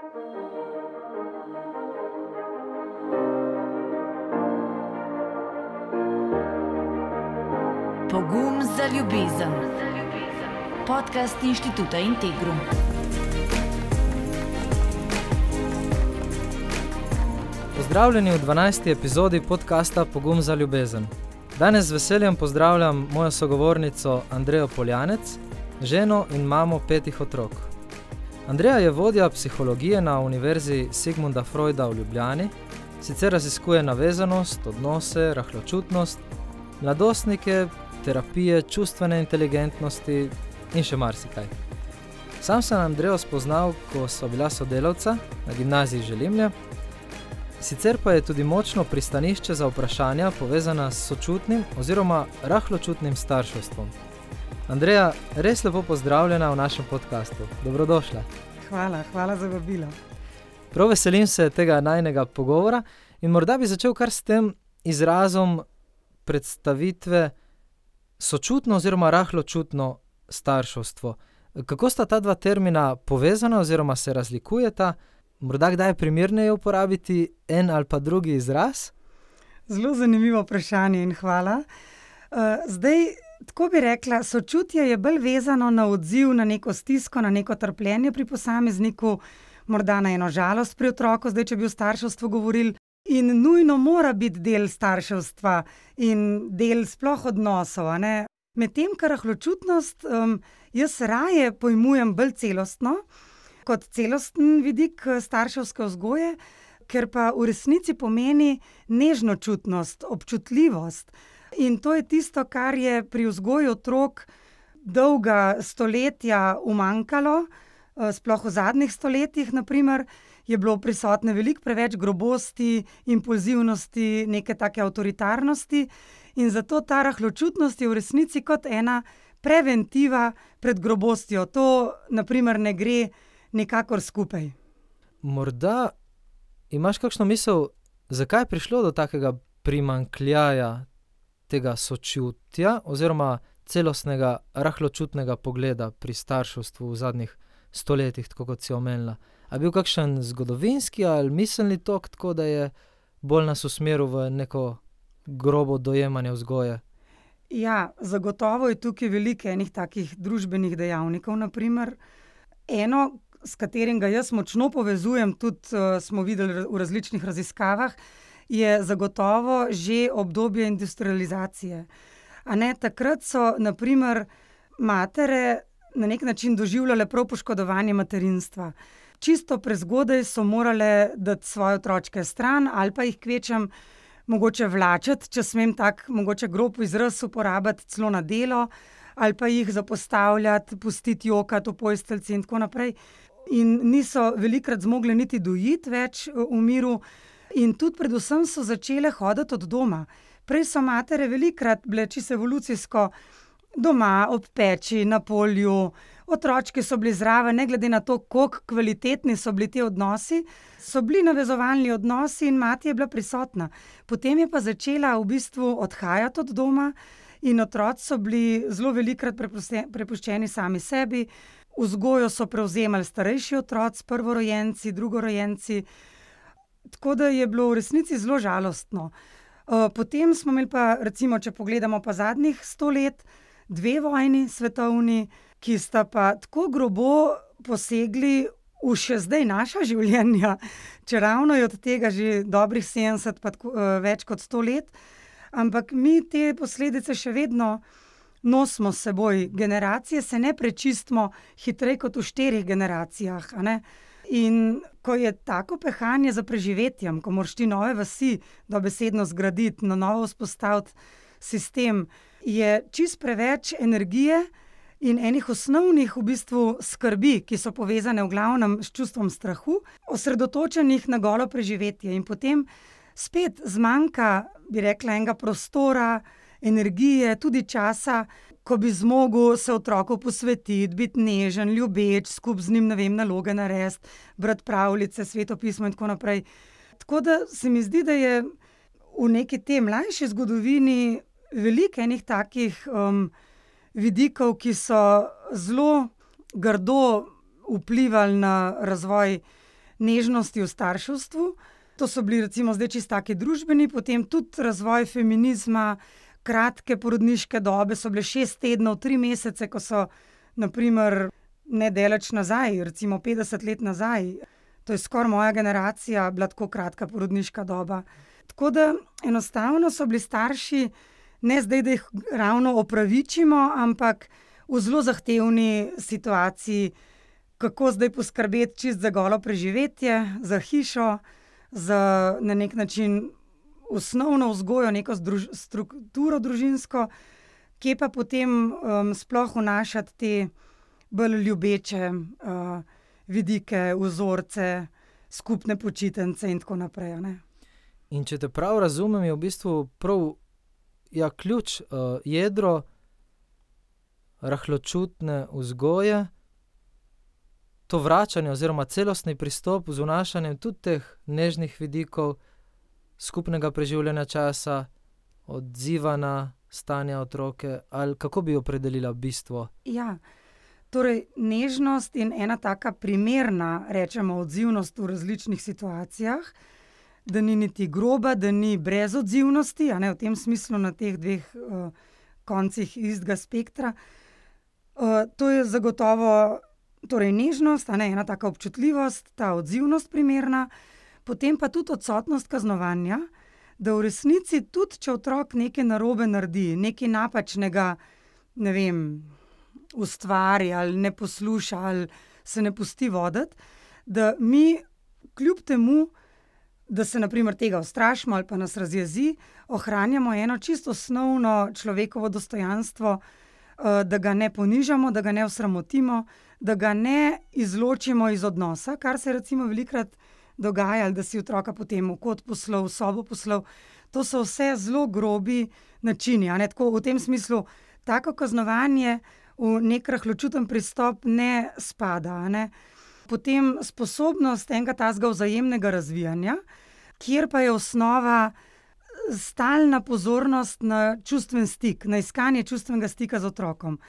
Pogum za ljubezen. Podcast Inštituta Integrum. Pozdravljeni v 12. epizodi podcasta Pogum za ljubezen. Danes z veseljem pozdravljam mojo sogovornico Andrejo Poljanec, ženo in mamo 5 otrok. Andreja je vodja psihologije na Univerzi Sigmunda Freuda v Ljubljani, sicer raziskuje navezanost, odnose, rahločutnost, mladostnike, terapije, čustvene inteligentnosti in še marsikaj. Sam sem Andrejo spoznal, ko sva bila sodelavca na gimnaziji Želimlje, sicer pa je tudi močno pristanišče za vprašanja povezana s sočutnim oziroma rahločutnim starševstvom. Andreja, res lepo pozdravljena v našem podcastu. Dobrodošla. Hvala za vabilo. Prav veselim se tega najinega pogovora in morda bi začel kar s tem izrazom predstavitve sočutno oziroma rahločutno starševstvo. Kako sta ta dva termina povezana oziroma se razlikujeta? Morda kdaj je primerneje uporabiti en ali pa drugi izraz? Zelo zanimivo vprašanje in hvala. Tako bi rekla, sočutje je bolj vezano na odziv, na neko stisko, na neko trpljenje pri posamezniku, morda na eno žalost pri otroku, če bi o starševstvu govorili. In nujno mora biti del starševstva in del sploh odnosov. Medtem, kar rahločutnost jaz raje pojmujem bolj celostno, kot celosten vidik starševske vzgoje, ker pa v resnici pomeni nežnočutnost, občutljivost. In to je tisto, kar je pri vzgoji otrok dolga stoletja umanjkalo, sploh v zadnjih stoletjih, naprimer, je bilo prisotne veliko preveč grobosti, impulzivnosti, neke take avtoritarnosti in zato ta rahločutnost je v resnici kot ena preventiva pred grobostjo. To, naprimer, ne gre nikakor skupaj. Morda imaš kakšno misel, zakaj je prišlo do takega primanjkljaja tega sočutja oziroma celostnega rahločutnega pogleda pri starševstvu v zadnjih stoletjih, tako kot si omenila? A bil kakšen zgodovinski ali miselni tok, tako da je bolj nas usmeril v neko grobo dojemanje vzgoje? Ja, zagotovo je tukaj veliko enih takih družbenih dejavnikov, naprimer. Eno, s katerim ga jaz močno povezujem, tudi smo videli v različnih raziskavah, je zagotovo že obdobje industrializacije. Takrat so, naprimer, matere na nek način doživljale prav poškodovanje materinstva. Čisto prezgodaj so morale dati svoje otročke stran ali pa jih kvečem mogoče vlačiti, če smem tak mogoče grob izraz uporabiti, celo na delo, ali pa jih zapostavljati, pustiti jokati v postelji in tako naprej. In niso velikokrat zmogle niti dojiti več v miru in tudi predvsem so začele hoditi od doma. Prej so matere velikokrat bile čisto evolucijsko doma, ob peči, na polju, otročki so bili zraven, ne glede na to, koliko kvalitetni so bili ti odnosi, so bili navezovalni odnosi in mati je bila prisotna. Potem je pa začela v bistvu odhajati od doma in otroci so bili zelo velikokrat prepuščeni sami sebi. Vzgojo so prevzemali starejši otroci, prvorojenci, drugorojenci, tako da je bilo v resnici zelo žalostno. Potem smo imeli pa, recimo, če pogledamo pa zadnjih 100 let, 2 vojni svetovni, ki sta pa tako grobo posegli v še zdaj naša življenja, čeravno je od tega že dobrih 70 pa več kot 100 let, ampak mi te posledice še vedno nosimo s seboj. Generacije se ne prečistimo hitreje kot v 4 generacijah, In ko je tako pehanje za preživetjem, ko moraš ti nove vasi dobesedno zgraditi, na novo vzpostaviti sistem, je čist preveč energije in enih osnovnih v bistvu skrbi, ki so povezane v glavnem s čustvom strahu, osredotočenih na golo preživetje. In potem spet zmanjka, bi rekla, enega prostora, energije, tudi časa, ko bi zmogel se otroku posvetiti, biti nežen, ljubeč, skupaj z njim, naloge narediti, brati pravljice, Sveto pismo in tako naprej. Tako da se mi zdi, da je v neki tej mlajši zgodovini veliko enih takih vidikov, ki so zelo grdo vplivali na razvoj nežnosti v starševstvu. To so bili recimo zdaj čisto taki družbeni, potem tudi razvoj feminizma, kratke porodniške dobe so bile 6 tednov, 3 mesece, ko so naprimer nedaleč nazaj, recimo 50 let nazaj, to je skoraj moja generacija, bila tako kratka porodniška doba. Tako da enostavno so bili starši, ne zdaj, da jih ravno opravičimo, ampak v zelo zahtevni situaciji, kako zdaj poskrbeti čist za golo preživetje, za hišo, za na nek način osnovno vzgojo, neko strukturo družinsko, kje pa potem sploh vnašati te bolj ljubeče vidike, vzorce, skupne počitnice in tako naprej. Ne? In če te prav razumem, je v bistvu prav ključ, jedro rahločutne vzgoje, to vračanje oziroma celostni pristop z vnašanjem tudi teh nežnih vidikov, skupnega preživljanja časa, odziva na stanje otroke, ali kako bi opredelila bistvo? Ja, torej nežnost in ena taka primerna, rečemo, odzivnost v različnih situacijah, da ni niti groba, da ni brezodzivnosti, a ne, v tem smislu na teh dveh koncih istega spektra. To je zagotovo torej nežnost, a ne, ena taka občutljivost, ta odzivnost primerna, potem pa tudi odsotnost kaznovanja, da v resnici tudi, če otrok nekaj narobe naredi, nekaj napačnega, ne vem, ustvari ali ne posluša ali se ne pusti voditi, da mi kljub temu, da se na primer tega ustrašimo ali pa nas razjezi, ohranjamo eno čisto osnovno človekovo dostojanstvo, da ga ne ponižamo, da ga ne osramotimo, da ga ne izločimo iz odnosa, kar se recimo velikokrat dogaja, da si otroka potem v kot poslal, v sobo poslal. To so vse zelo grobi načini, a ne, tako v tem smislu, tako kaznovanje v nek rahločuten pristop ne spada, a ne. Potem sposobnost enega takega vzajemnega razvijanja, kjer pa je osnova stalna pozornost na čustven stik, na iskanje čustvenega stika z otrokom.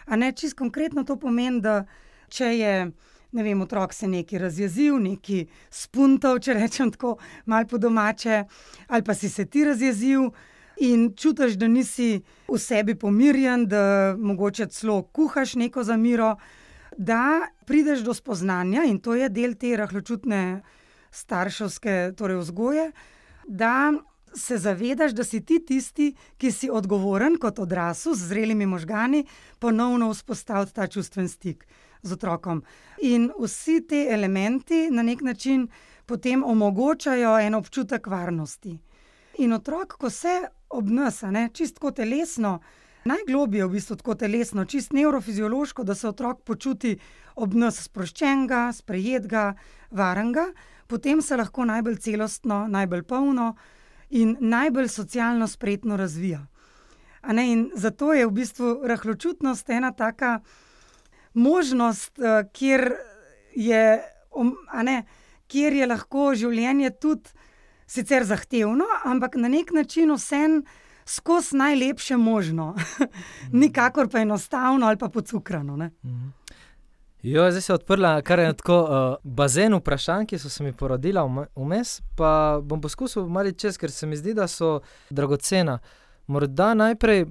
A ne, čisto konkretno to pomeni, da če je, ne vem, otrok se nekaj razjezil, nekaj spuntal, če rečem tako malo po domače, ali pa si se ti razjezil in čutiš, da nisi v sebi pomirjen, da mogoče celo kuhaš neko zamiro, da prideš do spoznanja, in to je del te rahločutne starševske torej vzgoje, da se zavedaš, da si ti tisti, ki si odgovoren kot odrasel z zrelimi možgani, ponovno vzpostaviti ta čustven stik z otrokom. In vsi te elementi na nek način potem omogočajo en občutek varnosti. In otrok, ko se ob nas, čistko telesno, najglobje v bistvu tako telesno, čist nevrofiziološko, da se otrok počuti ob nas sproščenega, sprejetega, varenega, potem se lahko najbolj celostno, najbolj polno in najbolj socialno spretno razvija. In zato je v bistvu rahločutnost ena taka možnost, kjer je lahko življenje tudi sicer zahtevno, ampak na nek način vseeno skozi najlepše možno. Nikakor pa enostavno ali pa pocukrano, ne. Zdaj se je odprla kar ena tako bazen vprašanj, ki so se mi porodila vmes, pa bom poskusil malo čez, ker se mi zdi, da so dragocena. Morda najprej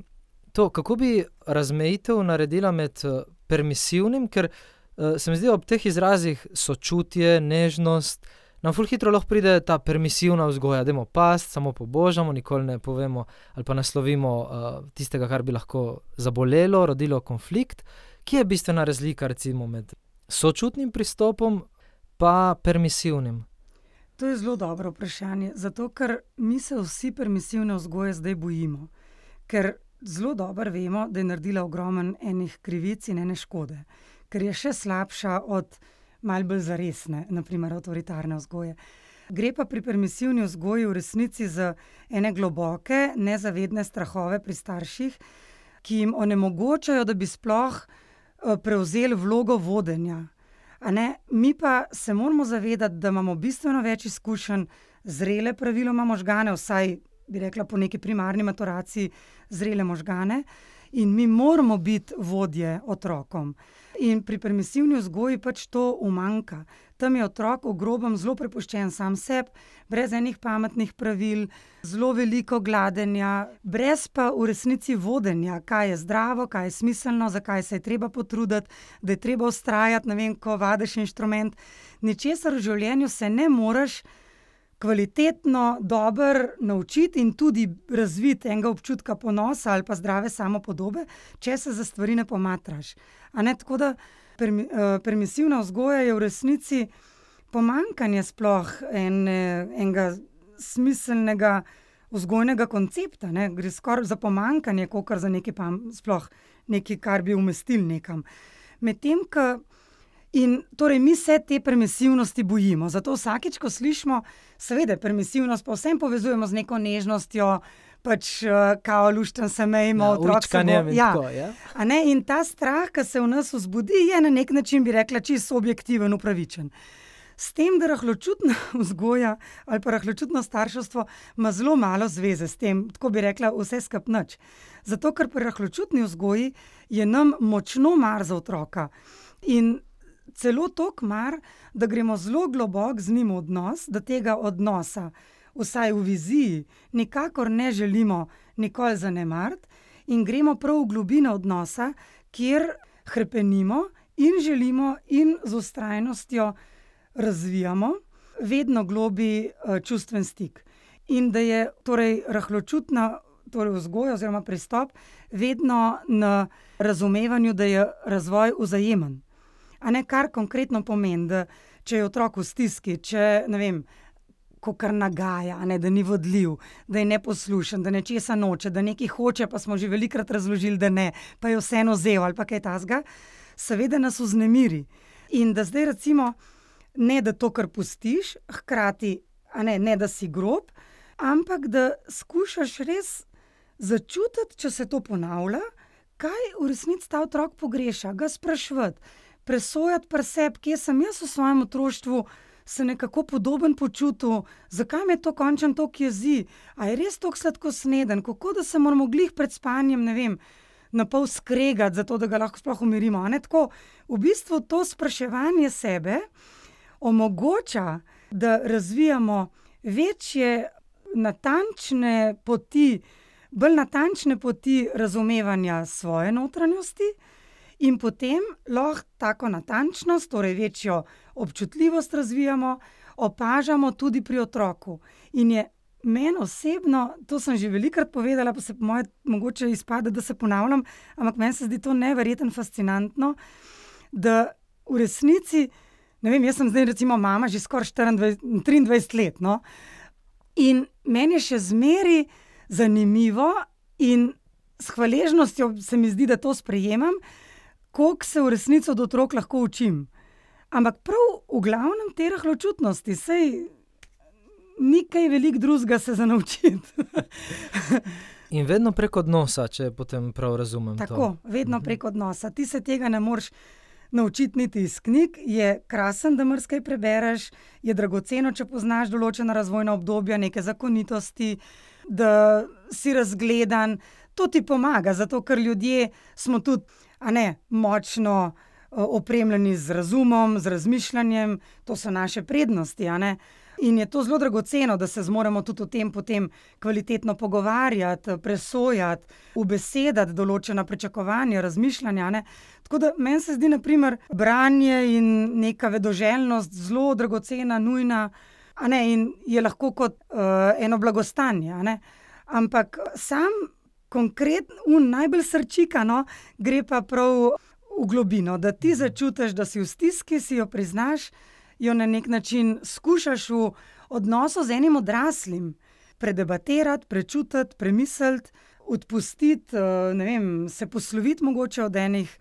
to, kako bi razmejitev naredila med permisivnim, ker se mi zdi ob teh izrazih sočutje, nežnost, nam ful hitro lahko pride ta permisivna vzgoja, dajmo past, samo pobožamo, nikoli ne povemo ali pa naslovimo tistega, kar bi lahko zabolelo, rodilo konflikt. Kje je bistvena razlika recimo med sočutnim pristopom pa permisivnim? To je zelo dobro vprašanje, zato ker mi se vsi permisivne vzgoje zdaj bojimo. Ker zelo dobro vemo, da je naredila ogromno enih krivic in ene škode. Ker je še slabša od malo bolj zaresne, na primer avtoritarne vzgoje. Gre pa pri permisivni vzgoji v resnici za ene globoke, nezavedne strahove pri starših, ki jim onemogočajo, da bi sploh prevzeli vlogo vodenja. Mi pa se moramo zavedati, da imamo bistveno več izkušenj, zrele praviloma možgane, vsaj bi rekla po neki primarni maturaciji zrele možgane, in mi moramo biti vodje otrokom. In pri permisivni vzgoji pač to umanjka. Tam je otrok v grobem zelo prepuščen sam sebi, brez enih pametnih pravil, zelo veliko gladenja, brez pa v resnici vodenja, kaj je zdravo, kaj je smiselno, zakaj se je treba potruditi, da je treba vztrajati, ne vem, ko vadiš inštrument. Ničesar v življenju se ne moreš kvalitetno, dobro naučiti in tudi razviti enega občutka ponosa ali pa zdrave samopodobe, če se za stvari ne pomatraš. A ne, tako da permisivna vzgoja je v resnici pomanjkanje sploh enega smiselnega vzgojnega koncepta, ne? Gre skoraj za pomanjkanje, kakor za sploh nekaj, kar bi umestili nekam. Medtem ko in torej mi se te permisivnosti bojimo, zato vsakič, ko slišimo, seveda permisivnost pa vsem povezujemo z neko nežnostjo, pač kao lušten se mejmo, otrok se bo... A ne, in ta strah, ki se v nas vzbudi, je na nek način, bi rekla, čisto objektiven, upravičen. S tem, da rahločutna vzgoja ali pa rahločutno starševstvo ima zelo malo zveze s tem, tako bi rekla, vse skupaj nič. Zato, ker pri rahločutni vzgoji je nam močno mar za otroka. In celo toliko mar, da gremo zelo globoko z njim v odnos, da tega odnosa, vsaj v viziji, nikakor ne želimo nikoli zanemariti in gremo prav v globino odnosa, kjer hrepenimo in želimo in z vztrajnostjo razvijamo vedno globlji čustven stik. In da je torej rahločutna vzgoja oziroma pristop vedno na razumevanju, da je razvoj vzajemen. A ne, kar konkretno pomeni, da če je otrok v stiski, če, ne vem, kakor nagaja, ne, da ni vodljiv, da je neposlušen, da nečesa noče, da nekaj hoče, pa smo že velikokrat razložili, da ne, pa je vseeno vzel ali pa kaj takega, seveda nas vznemiri. In da zdaj recimo, ne da to, kar pustiš, hkrati, ne da si grob, ampak da skušaš res začutiti, če se to ponavlja, kaj v resnici ta otrok pogreša, ga spraševati, presojati pri sebi, kje sem jaz v svojem otroštvu se nekako podoben počutil, zakaj me to končno toliko jezi, a je res toliko sladkosneden, kako da se moramo glih pred spanjem, ne vem, napol skregati, zato da ga lahko sploh umirimo. A ne, tako, v bistvu to spraševanje sebe omogoča, da razvijamo večje natančne poti, bolj natančne poti razumevanja svoje notranjosti, in potem lahko tako natančnost, torej večjo občutljivost razvijamo, opažamo tudi pri otroku. In je meni osebno, to sem že velikokrat povedala, pa se po moje mogoče izpade, da se ponavljam, ampak meni se zdi to neverjetno fascinantno, da v resnici, ne vem, jaz sem zdaj recimo mama že skoraj 23 let, no, in meni je še zmeraj zanimivo in s hvaležnostjo se mi zdi, da to sprejemam, koliko se v resnici od otrok lahko učim. Ampak prav v glavnem te rahločutnosti, saj ni kaj veliko drugega se za naučiti. In vedno prek odnosa, če potem prav razumem to. Tako, vedno prek odnosa. Ti se tega ne moreš naučiti niti iz knjig, je krasen, da marsikaj prebereš, je dragoceno, če poznaš določena razvojna obdobja, neke zakonitosti, da si razgledan. To ti pomaga, zato ker ljudje smo tudi močno opremljeni z razumom, z razmišljanjem, to so naše prednosti, in je to zelo dragoceno, da se zmoremo tudi o tem potem kvalitetno pogovarjati, presojati, ubesedati določena pričakovanja, razmišljanja, Tako da meni se zdi, na primer, branje in neka vedoželjnost zelo dragocena, nujna, in je lahko kot eno blagostanje, Ampak sam konkretno, najbolj srčika, gre pa prav v globino, da ti začutiš, da si v stiski, si jo priznaš, jo na nek način skušaš v odnosu z enim odraslim predebatirati, prečutiti, premisliti, odpustiti, se posloviti mogoče od enih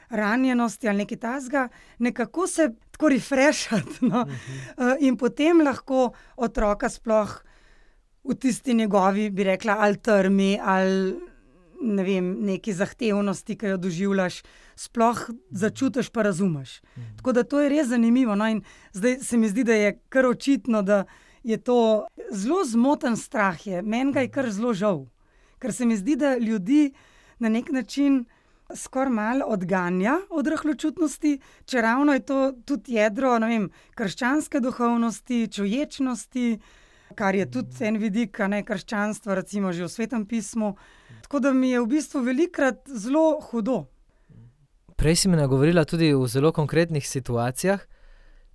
ranjenosti ali nekaj takega, nekako se tako refreshati, in potem lahko otroka sploh v tisti njegovi, bi rekla, ali trmi, ali neki zahtevnosti, ki jo doživljaš, sploh začutiš pa razumeš. Tako da to je res zanimivo. In zdaj se mi zdi, da je kar očitno, da je to zelo zmoten strah. Meni ga je kar zelo žal. Ker se mi zdi, da ljudi na nek način skoraj malo odganja od rahločutnosti, če ravno je to tudi jedro, ne vem, krščanske duhovnosti, čuječnosti, kar je tudi en vidik, krščanstva, recimo že v Svetem pismu. Tako da mi je v bistvu velikokrat zelo hudo. Prej si mi nagovorila tudi v zelo konkretnih situacijah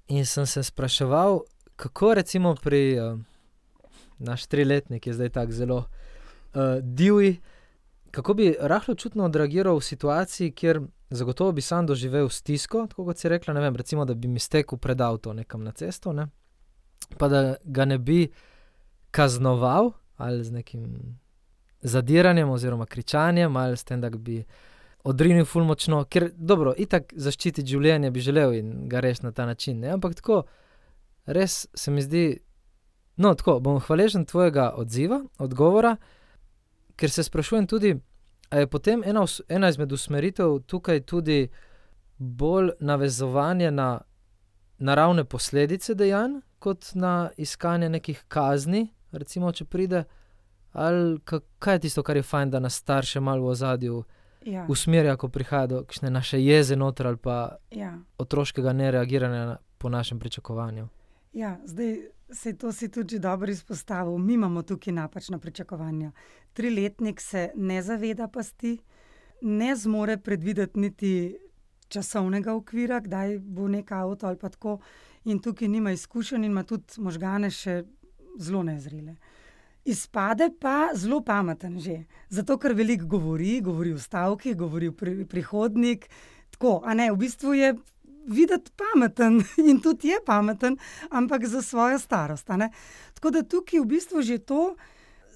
in sem se spraševal, kako recimo pri naš 3-letnik je zdaj tako zelo divji, kako bi rahločutno odreagiral v situaciji, kjer zagotovo bi sam doživel stisko, tako kot si rekla, ne vem, recimo, da bi mi stekel pred avto nekam na cesto, ne? Pa da ga ne bi kaznoval ali z nekim zadiranjem oziroma kričanjem ali s tem, da bi odrinil ful močno, ker dobro, itak zaščititi življenje bi želel in ga rešiti na ta način, ne? Ampak tako, res se mi zdi, no tako, bom hvaležen tvojega odgovora, ker se sprašujem tudi, a je potem ena izmed usmeritev tukaj tudi bolj navezovanje na naravne posledice dejanj, kot na iskanje nekih kazni, recimo, če pride, ali kaj je tisto, kar je fajn, da nas starše malo v ozadju usmerja, ko prihaja do kakšne naše jeze noter ali pa otroškega nereagiranja po našem pričakovanju. Ja, zdaj to si tudi dobro izpostavil. Mi imamo tukaj napačna pričakovanja. 3-letnik se ne zaveda pasti, ne zmore predvideti niti časovnega okvira, kdaj bo nek avto ali pa tako, in tukaj nima izkušenj in ima tudi možgane še zelo nezrele. Izpade pa zelo pameten že, zato ker veliko govori v stavkih, govori v prihodnik, tako, v bistvu je videti pameten in tudi je pameten, ampak za svojo starost, Tako da tukaj v bistvu že to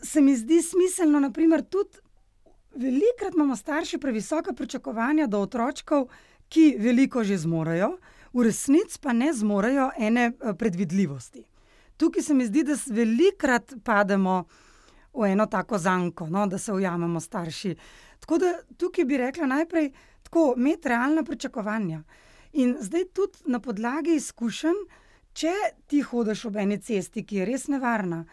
se mi zdi smiselno, naprimer tudi velikokrat imamo starši previsoka pričakovanja do otročkov, ki veliko že zmorejo, v resnici pa ne zmorejo ene predvidljivosti. Tukaj se mi zdi, da velikokrat pademo v eno tako zanko, da se ujamemo starši. Tako da tukaj bi rekla najprej tako, imeti realna pričakovanja. In zdaj tudi na podlagi izkušenj, če ti hodiš ob eni cesti, ki je res nevarna,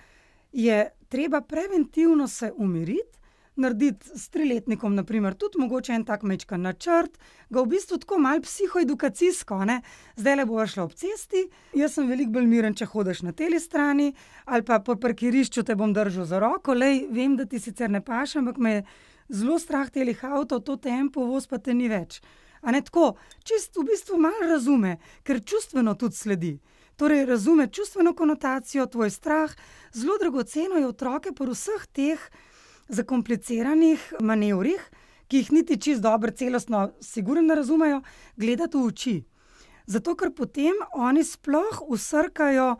je treba preventivno se umiriti, narediti s 3-letnikom, naprimer, tudi mogoče en tak majčken načrt, ga v bistvu tako malo psihoedukacijsko, Zdajle bova šla ob cesti, jaz sem veliko bolj miren, če hodiš na teli strani, ali pa po parkirišču te bom držal za roko, vem, da ti sicer ne paše, ampak me je zelo strah telih avtov, to tempo, voz pa te ni več. Tako, čist v bistvu malo razume, ker čustveno tudi sledi. Torej, razume čustveno konotacijo, tvoj strah. Zelo dragoceno je otroke pri vseh teh zakompliciranih manevrih, ki jih niti čisto dobro celostno sigurno ne razumejo, gledati v oči. Zato, ker potem oni sploh vsrkajo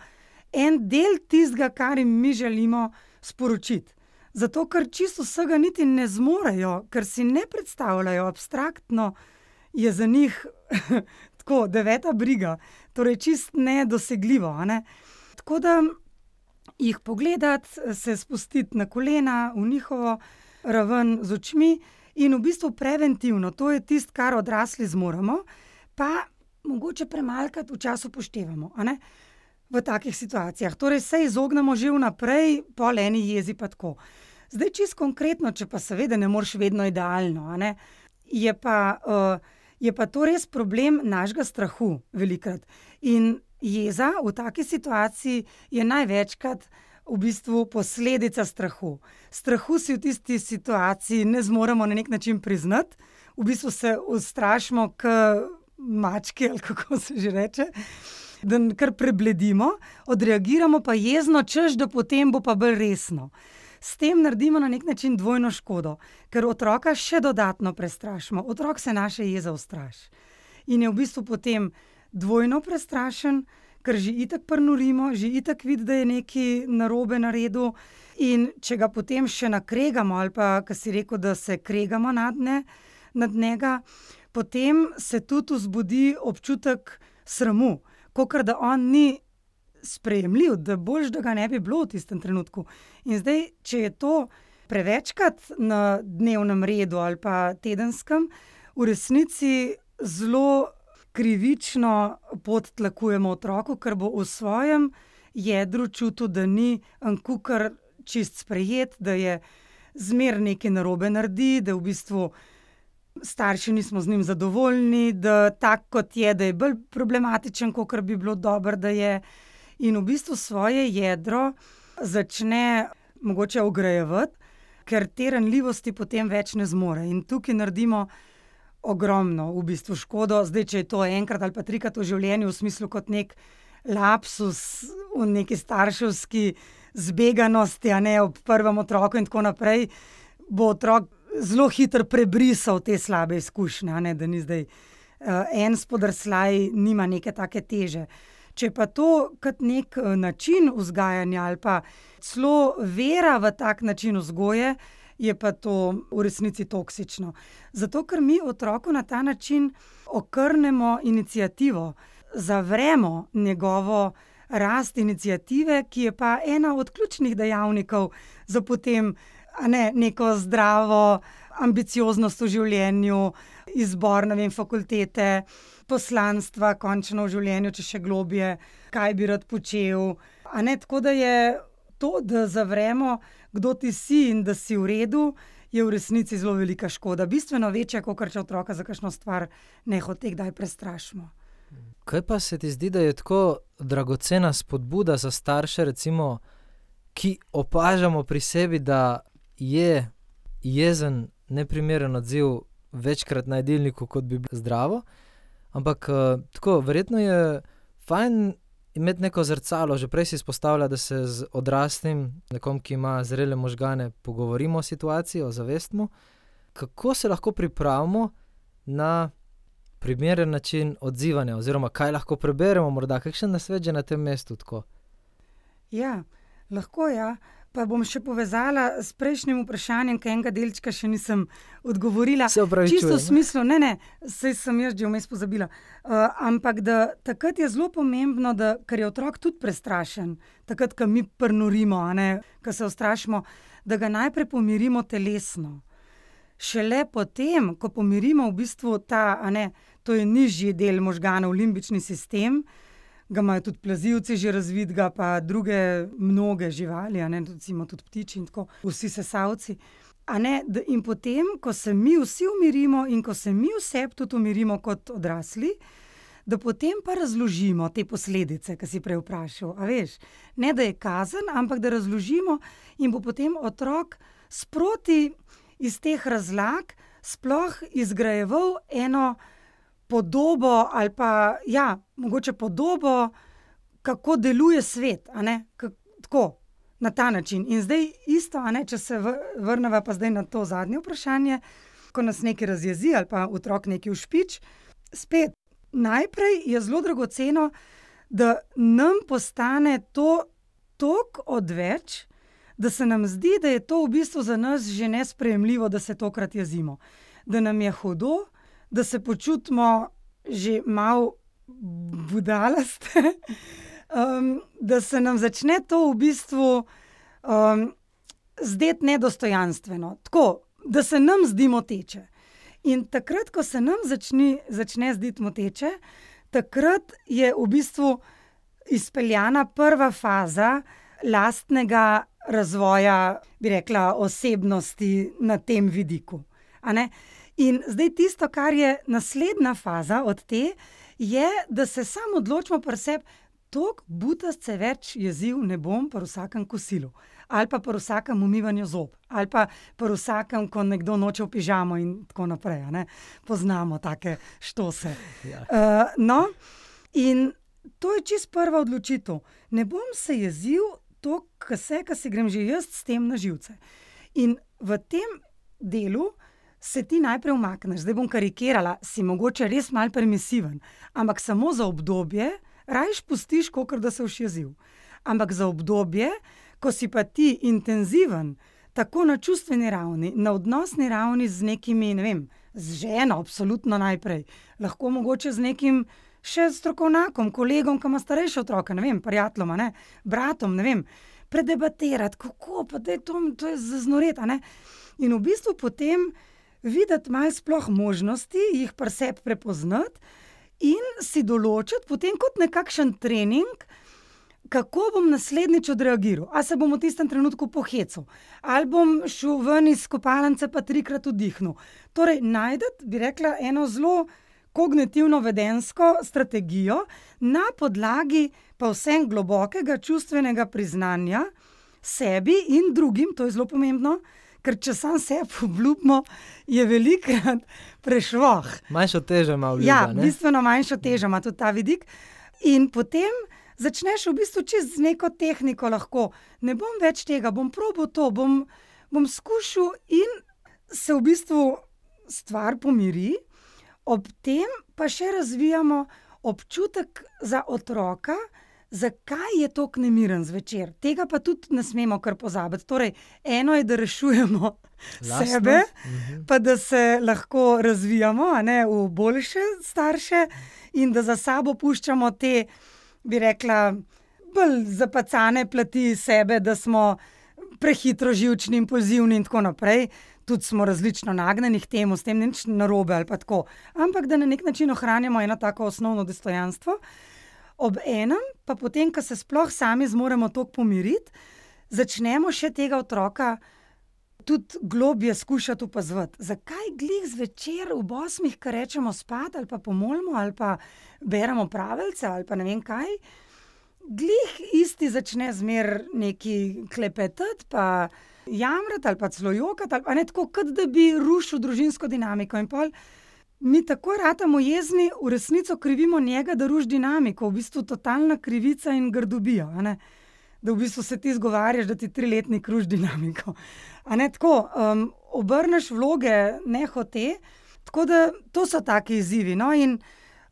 en del tistega, kar jim mi želimo sporočiti. Zato, ker čisto vsega niti ne zmorejo, ker si ne predstavljajo abstraktno, je za njih tako 9. briga, torej čisto nedosegljivo. Tako da jih pogledati, se spustiti na kolena v njihovo raven z očmi in v bistvu preventivno, to je tisto, kar odrasli zmoremo, pa mogoče premalkrat včasih upoštevamo, v takih situacijah. Torej se izognemo že vnaprej, pol eni jezi pa tako. Zdaj čisto konkretno, če pa seveda ne moreš vedno idealno, je pa to res problem našega strahu velikokrat. In jeza v taki situaciji je največkrat v bistvu posledica strahu. Strahu si v tisti situaciji ne zmoremo na nek način priznati, v bistvu se ustrašimo k mački, ali kako se že reče, da kar prebledimo, odreagiramo pa jezno, češ, da potem bo pa bolj resno. S tem naredimo na nek način dvojno škodo, ker otroka še dodatno prestrašimo. Otrok se naše jeze ustraši. In je v bistvu potem dvojno prestrašen, ker že itak prnorimo, že itak vidi, da je nekaj narobe naredil. In če ga potem še nakregamo, ali pa, kar si rekel, da se kregamo nad njega, potem se tudi vzbudi občutek sramu, kakor da on ni sprejemljiv, da boljš, da ga ne bi bilo v tistem trenutku. In zdaj, če je to prevečkrat na dnevnem redu ali pa tedenskem, v resnici zelo krivično podtlakujemo otroku, ker bo v svojem jedru čutil, da ni kukar čist sprejet, da je zmer nekaj narobe naredi, da v bistvu starši nismo z njim zadovoljni, da tak kot je, da je bolj problematičen, kakor bi bilo dobro, da je. In v bistvu svoje jedro začne mogoče ograjevati, ker te ranljivosti potem več ne zmore. In tukaj naredimo ogromno v bistvu škodo. Zdaj, če je to enkrat ali pa trikrat v življenju, v smislu kot nek lapsus v neki starševski zbeganosti, a ne ob prvem otroku in tako naprej, bo otrok zelo hitro prebrisal te slabe izkušnje, a ne, da ni zdaj en spodrsljaj, nima neke take teže. Če pa to kot nek način vzgajanja ali pa celo vera v tak način vzgoje, je pa to v resnici toksično. Zato, ker mi otroku na ta način okrnemo iniciativo, zavremo njegovo rast iniciative, ki je pa ena od ključnih dejavnikov za potem neko zdravo ambicioznost v življenju, izbor, fakultete, poslanstva, končno v življenju, če še globje, kaj bi rad počel. Tako da je to, da zavremo, kdo ti si in da si v redu, je v resnici zelo velika škoda. Bistveno večja, kakor če otroka za kakšno stvar nehote kdaj prestrašimo. Kaj pa se ti zdi, da je tako dragocena spodbuda za starše, recimo, ki opažamo pri sebi, da je jezen, neprimeren odziv večkrat na jedilniku, kot bi bilo zdravo, ampak tako, verjetno je fajn imeti neko zrcalo. Že prej si izpostavlja, da se z odraslim, nekom, ki ima zrele možgane, pogovorimo o situaciji, o zavestmu. Kako se lahko pripravimo na primeren način odzivanja, oziroma kaj lahko preberemo, morda kakšen nasvet že na tem mestu tako? Ja, lahko ja. Pa bom še povezala s prejšnjim vprašanjem, ker enega delčka še nisem odgovorila. Se opravičujem. Čisto v smislu, saj sem jaz že vmes pozabila. Ampak da takrat je zelo pomembno, da, ker je otrok tudi prestrašen, takrat, ko mi prnorimo, ko se ustrašimo, da ga najprej pomirimo telesno. Šele potem, ko pomirimo v bistvu to je nižji del možganov, limbični sistem, ga imajo tudi plazivci že razvitega, pa druge mnoge živali, recimo tudi ptiči in tako, vsi sesalci. In potem, ko se mi vsi umirimo in ko se mi vse tudi umirimo kot odrasli, da potem pa razložimo te posledice, ki si prej vprašal. A veš, ne da je kazen, ampak da razložimo in bo potem otrok sproti iz teh razlag sploh izgrajeval eno podobo ali pa, mogoče podobo, kako deluje svet, tako, na ta način. In zdaj isto, če se vrneva pa zdaj na to zadnje vprašanje, ko nas nekaj razjezi ali pa otrok nekaj ušpič, spet, najprej je zelo dragoceno, da nam postane to toliko odveč, da se nam zdi, da je to v bistvu za nas že nesprejemljivo, da se tokrat jezimo. Da nam je hudo, da se počutimo že malo budalaste, da se nam začne to v bistvu zdeti nedostojanstveno. Tako, da se nam zdi moteče. In takrat, ko se nam začne zdeti moteče, takrat je v bistvu izpeljana prva faza lastnega razvoja, bi rekla, osebnosti na tem vidiku. In zdaj tisto, kar je naslednja faza od te, je, da se samo odločimo pri sebi, toliko butast se več jeziv ne bom pri vsakem kosilu. Ali pa pri vsakem umivanju zob. Ali pa pri vsakem, ko nekdo noče v pižamo in tako naprej. Poznamo take štose. Ja. In to je čisto prva odločitev. Ne bom se jezil to, ko si grem že jaz s tem na živce. In v tem delu se ti najprej umakneš. Zdaj bom karikirala, si mogoče res malo permisiven, ampak samo za obdobje, rajš pustiš, kakor da se boš jezil. Ampak za obdobje, ko si pa ti intenziven, tako na čustveni ravni, na odnosni ravni z nekimi, z ženo, absolutno najprej, lahko mogoče z nekim še strokovnjakom, kolegom, ki ima starejše otroke, prijateljom, bratom, predebatirati, kako, pa da je to je zaznoreti, In v bistvu potem videti malo sploh možnosti, jih pri sebi prepoznati in si določiti potem kot nekakšen trening, kako bom naslednjič odreagiral. A se bom v tistem trenutku pohecal, ali bom šel ven iz kopalnice pa 3-krat vdihnil. Torej, najdete, bi rekla, eno zelo kognitivno-vedensko strategijo na podlagi pa vsem globokega čustvenega priznanja sebi in drugim, to je zelo pomembno, ker če sam sebi obljubimo, je velikokrat prešvoh. Manjšo težo ima obljuba, ja, bistveno manjšo težo ima tudi ta vidik. In potem začneš v bistvu čez neko tehniko lahko. Ne bom več tega, bom probal to, bom skušal in se v bistvu stvar pomiri. Ob tem pa še razvijamo občutek za otroka, zakaj je toliko nemiren zvečer. Tega pa tudi ne smemo kar pozabiti. Torej, eno je, da rešujemo sebe, pa da se lahko razvijamo, a ne, v boljše starše in da za sabo puščamo te, bi rekla, bolj zapacane plati sebe, da smo prehitro živčni, impulzivni in tako naprej. Tudi smo različno nagnjeni k temu, s tem nič narobe ali pa tako. Ampak da na nek način ohranjamo eno tako osnovno dostojanstvo. Ob enem, pa potem, ko se sploh sami zmoremo toliko pomiriti, začnemo še tega otroka tudi globje skušati opazovati. Zakaj glih zvečer ob 8, ko rečemo spat, ali pa pomolimo, ali pa beremo pravice, ali pa ne vem kaj, glih isti začne zmer neki klepetati, pa jamrati, ali pa celo jokati, ali pa ne tako, kot da bi rušil družinsko dinamiko. In pol mi takoj ratamo jezni, v resnico krivimo njega, da ruši dinamiko, v bistvu totalna krivica in grdobija, a ne? Da v bistvu se ti zgovarjaš, da ti 3-letnik ruši dinamiko. A ne tako, obrneš vloge nehote, tako da to so taki izzivi. No, in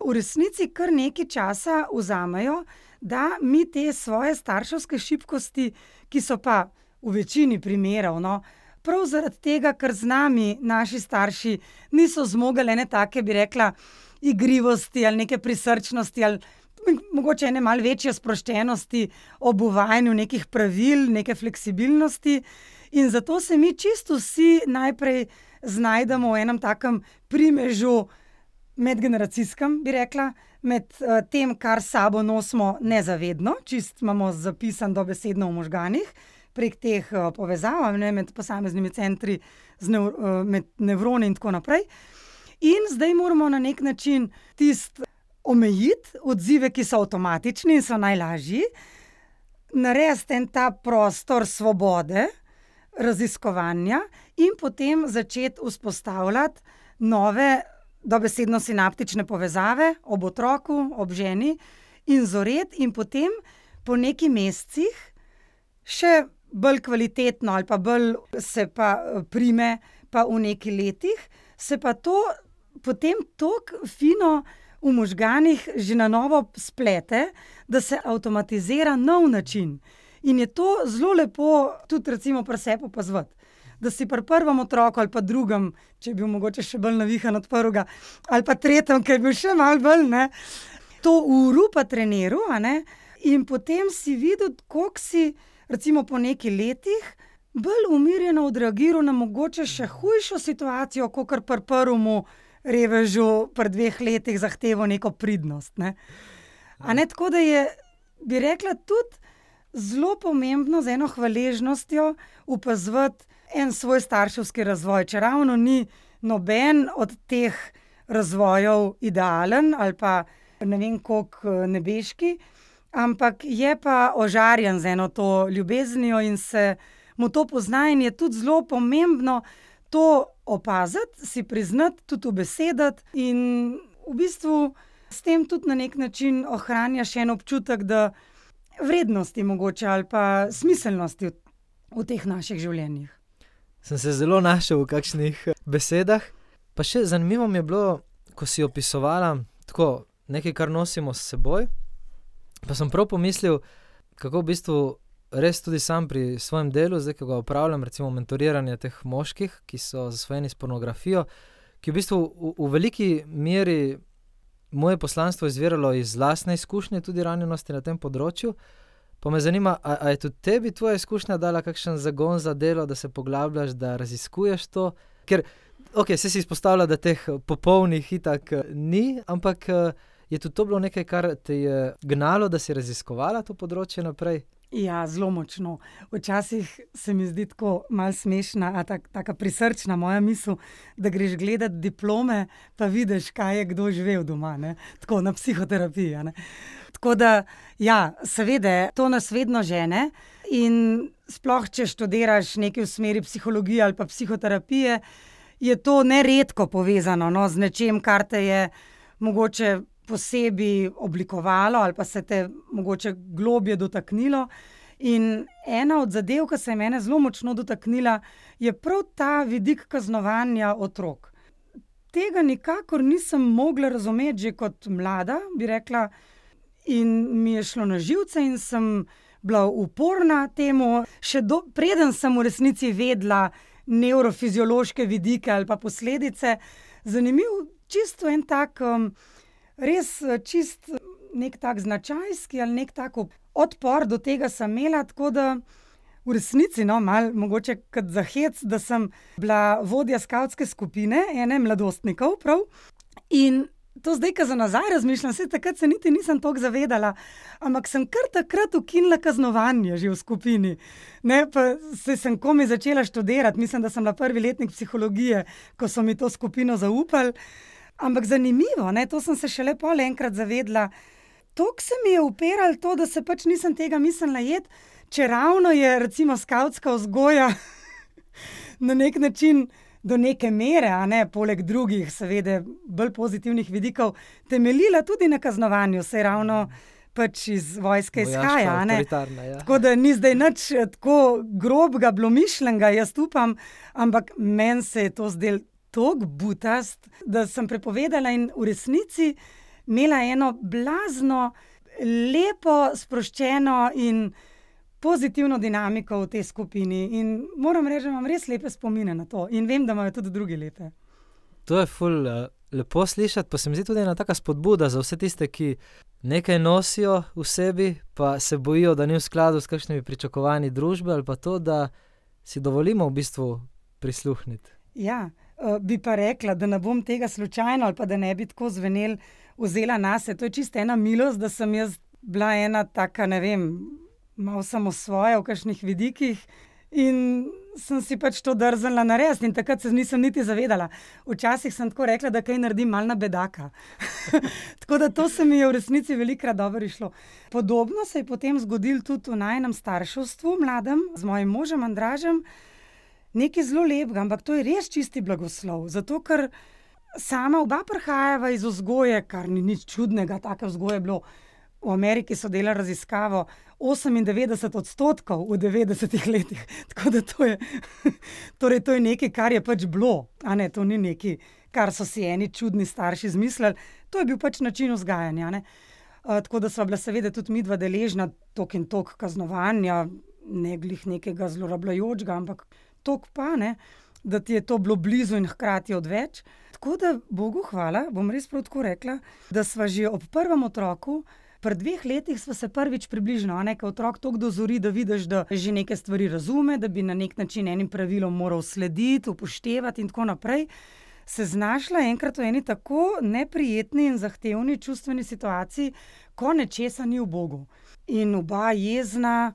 v resnici kar nekaj časa vzamejo, da mi te svoje starševske šibkosti, ki so pa v večini primerov, no, prav zaradi tega, ker z nami naši starši niso zmogli ene take, bi rekla, igrivosti ali neke prisrčnosti ali mogoče ene malo večje sproščenosti ob uvajanju nekih pravil, neke fleksibilnosti. In zato se mi čisto vsi najprej znajdemo v enem takem primežu medgeneracijskem, bi rekla, med tem, kar sabo nosimo nezavedno, čisto imamo zapisan dobesedno v možganih, prek teh povezav, ne, med posameznimi centri, med nevroni in tako naprej. In zdaj moramo na nek način omejiti odzive, ki so avtomatični in so najlažji, narediti en ta prostor svobode, raziskovanja in potem začeti vzpostavljati nove dobesedno sinaptične povezave ob otroku, ob ženi in zoreti in potem po nekaj mesecih še bolj kvalitetno ali pa bolj se pa prime pa v nekaj letih, se pa to potem toliko fino v možganih že na novo splete, da se avtomatizira nov način. In je to zelo lepo tudi recimo pri sebi opazovati. Da si pri prvem otroku ali pa drugem, če je bil mogoče še bolj navihan od prvega, ali pa tretjem, ki je bil še malo bolj, ne, to uro pa treniral, a ne, in potem si videl, koliko si recimo po nekaj letih bolj umirjeno odreagiral na mogoče še hujšo situacijo, kakor pri prvemu revežu pri 2 letih zahteval neko pridnost, ne. A ne, tako da je, bi rekla, tudi zelo pomembno z eno hvaležnostjo opazovati en svoj starševski razvoj, če ravno ni noben od teh razvojev idealen ali pa ne vem koliko nebeški, ampak je pa ožarjen z eno to ljubeznijo in se mu to pozna in je tudi zelo pomembno to opaziti, si priznati, tudi ubesediti in v bistvu s tem tudi na nek način ohranjaš en občutek, da vrednosti mogoče ali pa smiselnosti v teh naših življenjih. Sem se zelo našel v kakšnih besedah. Pa še zanimivo mi je bilo, ko si opisovala tako nekaj, kar nosimo s seboj, pa sem prav pomislil, kako v bistvu res tudi sam pri svojem delu, zdaj, ko ga upravljam, recimo mentoriranje teh moških, ki so zasvojeni s pornografijo, ki v bistvu v veliki meri moje poslanstvo izviralo iz lastne izkušnje, tudi ranjenosti na tem področju. Pa me zanima, a je tudi tebi tvoja izkušnja dala kakšen zagon za delo, da se poglabljaš, da raziskuješ to? Ker, se si izpostavlja, da teh popolnih itak ni, ampak je tudi to bilo nekaj, kar te je gnalo, da si raziskovala to področje naprej? Ja, zelo močno. Včasih se mi zdi tako malo smešna, a taka prisrčna moja misel, da greš gledat diplome, pa vidiš, kaj je kdo živel doma, ne? Tako na psihoterapiji, ne? Tako da, ja, seveda, to nas vedno žene in sploh, če študiraš nekaj v smeri psihologije ali pa psihoterapije, je to neredko povezano, no, z nečem, kar te je mogoče posebej oblikovalo ali pa se te mogoče globje dotaknilo. In ena od zadev, ki se je mene zelo močno dotaknila, je prav ta vidik kaznovanja otrok. Tega nikakor nisem mogla razumeti že kot mlada, bi rekla, in mi je šlo na živce in sem bila uporna temu, preden sem v resnici vedela nevrofiziološke vidike ali pa posledice. Zanimiv, čisto en tak, res čist nek tak značajski ali nek tak odpor do tega sem imela, tako da v resnici, no, malo mogoče kot za hec, da sem bila vodja skavtske skupine, ene mladostnikov prav, in to zdaj, ko za nazaj razmišljam, saj takrat se niti nisem toliko zavedala, ampak sem kar takrat ukinila kaznovanje že v skupini. Ne, pa sem komaj začela študirati, mislim, da sem bila prvi letnik psihologije, ko so mi to skupino zaupali. Ampak zanimivo, ne, to sem se šele pol enkrat zavedla. Toliko se mi je upiralo to, da se pač nisem tega mislila jeti, če ravno je recimo skavtska vzgoja na nek način do neke mere, a ne, poleg drugih, seveda, bolj pozitivnih vidikov, temeljila tudi na kaznovanju, saj ravno pač iz vojske izhaja, a ne. Ja. Tako da ni zdaj nič tako grobega, bilo mišljenega, jaz upam, ampak meni se je to zdelo toliko butast, da sem prepovedala in v resnici imela eno blazno, lepo, sproščeno in pozitivno dinamiko v tej skupini. In moram reči, da imam res lepe spomine na to. In vem, da imajo tudi drugi lepe. To je ful lepo slišati, pa se mi zdi tudi ena taka spodbuda za vse tiste, ki nekaj nosijo v sebi, pa se bojijo, da ni v skladu s kakšnimi pričakovanji družbe, ali pa to, da si dovolimo v bistvu prisluhniti. Ja, bi pa rekla, da ne bom tega slučajno ali pa da ne bi tako zvenel vzela nase. To je čisto ena milost, da sem jaz bila ena taka, ne vem, malo samosvoja v kakšnih vidikih in sem si pač to drznila narediti in takrat se nisem niti zavedala. Včasih sem tako rekla, da kaj naredim malo na bedaka. Tako da to se mi je v resnici velikokrat dobro išlo. Podobno se je potem zgodilo tudi v najinem starševstvu, mladem, z mojim možem Andražem. Nekaj zelo lepega, ampak to je res čisti blagoslov. Zato, ker sama oba prihajava iz vzgoje, kar ni nič čudnega, take vzgoje je bilo. V Ameriki so delali raziskavo 98% v 90 letih. Tako da to je, torej to je nekaj, kar je pač bilo. A ne, to ni nekaj, kar so si eni čudni starši izmislili. To je bil pač način vzgajanja, ne. Tako da sva bila seveda tudi midva deležna tok in tok kaznovanja, ne glih nekega zlorabljajočega, ampak tok pa, ne, da ti je to bilo blizu in hkrati odveč. Tako da, Bogu hvala, bom res prav tako rekla, da sva že ob prvem otroku, pri 2 letih sva se prvič približno, a ne, ko otrok toliko dozori, da vidiš, da že neke stvari razume, da bi na nek način enim pravilom moral slediti, upoštevati in tako naprej, se znašla enkrat v eni tako neprijetni in zahtevni čustveni situaciji, ko nečesa ni v Bogu. In oba jezna,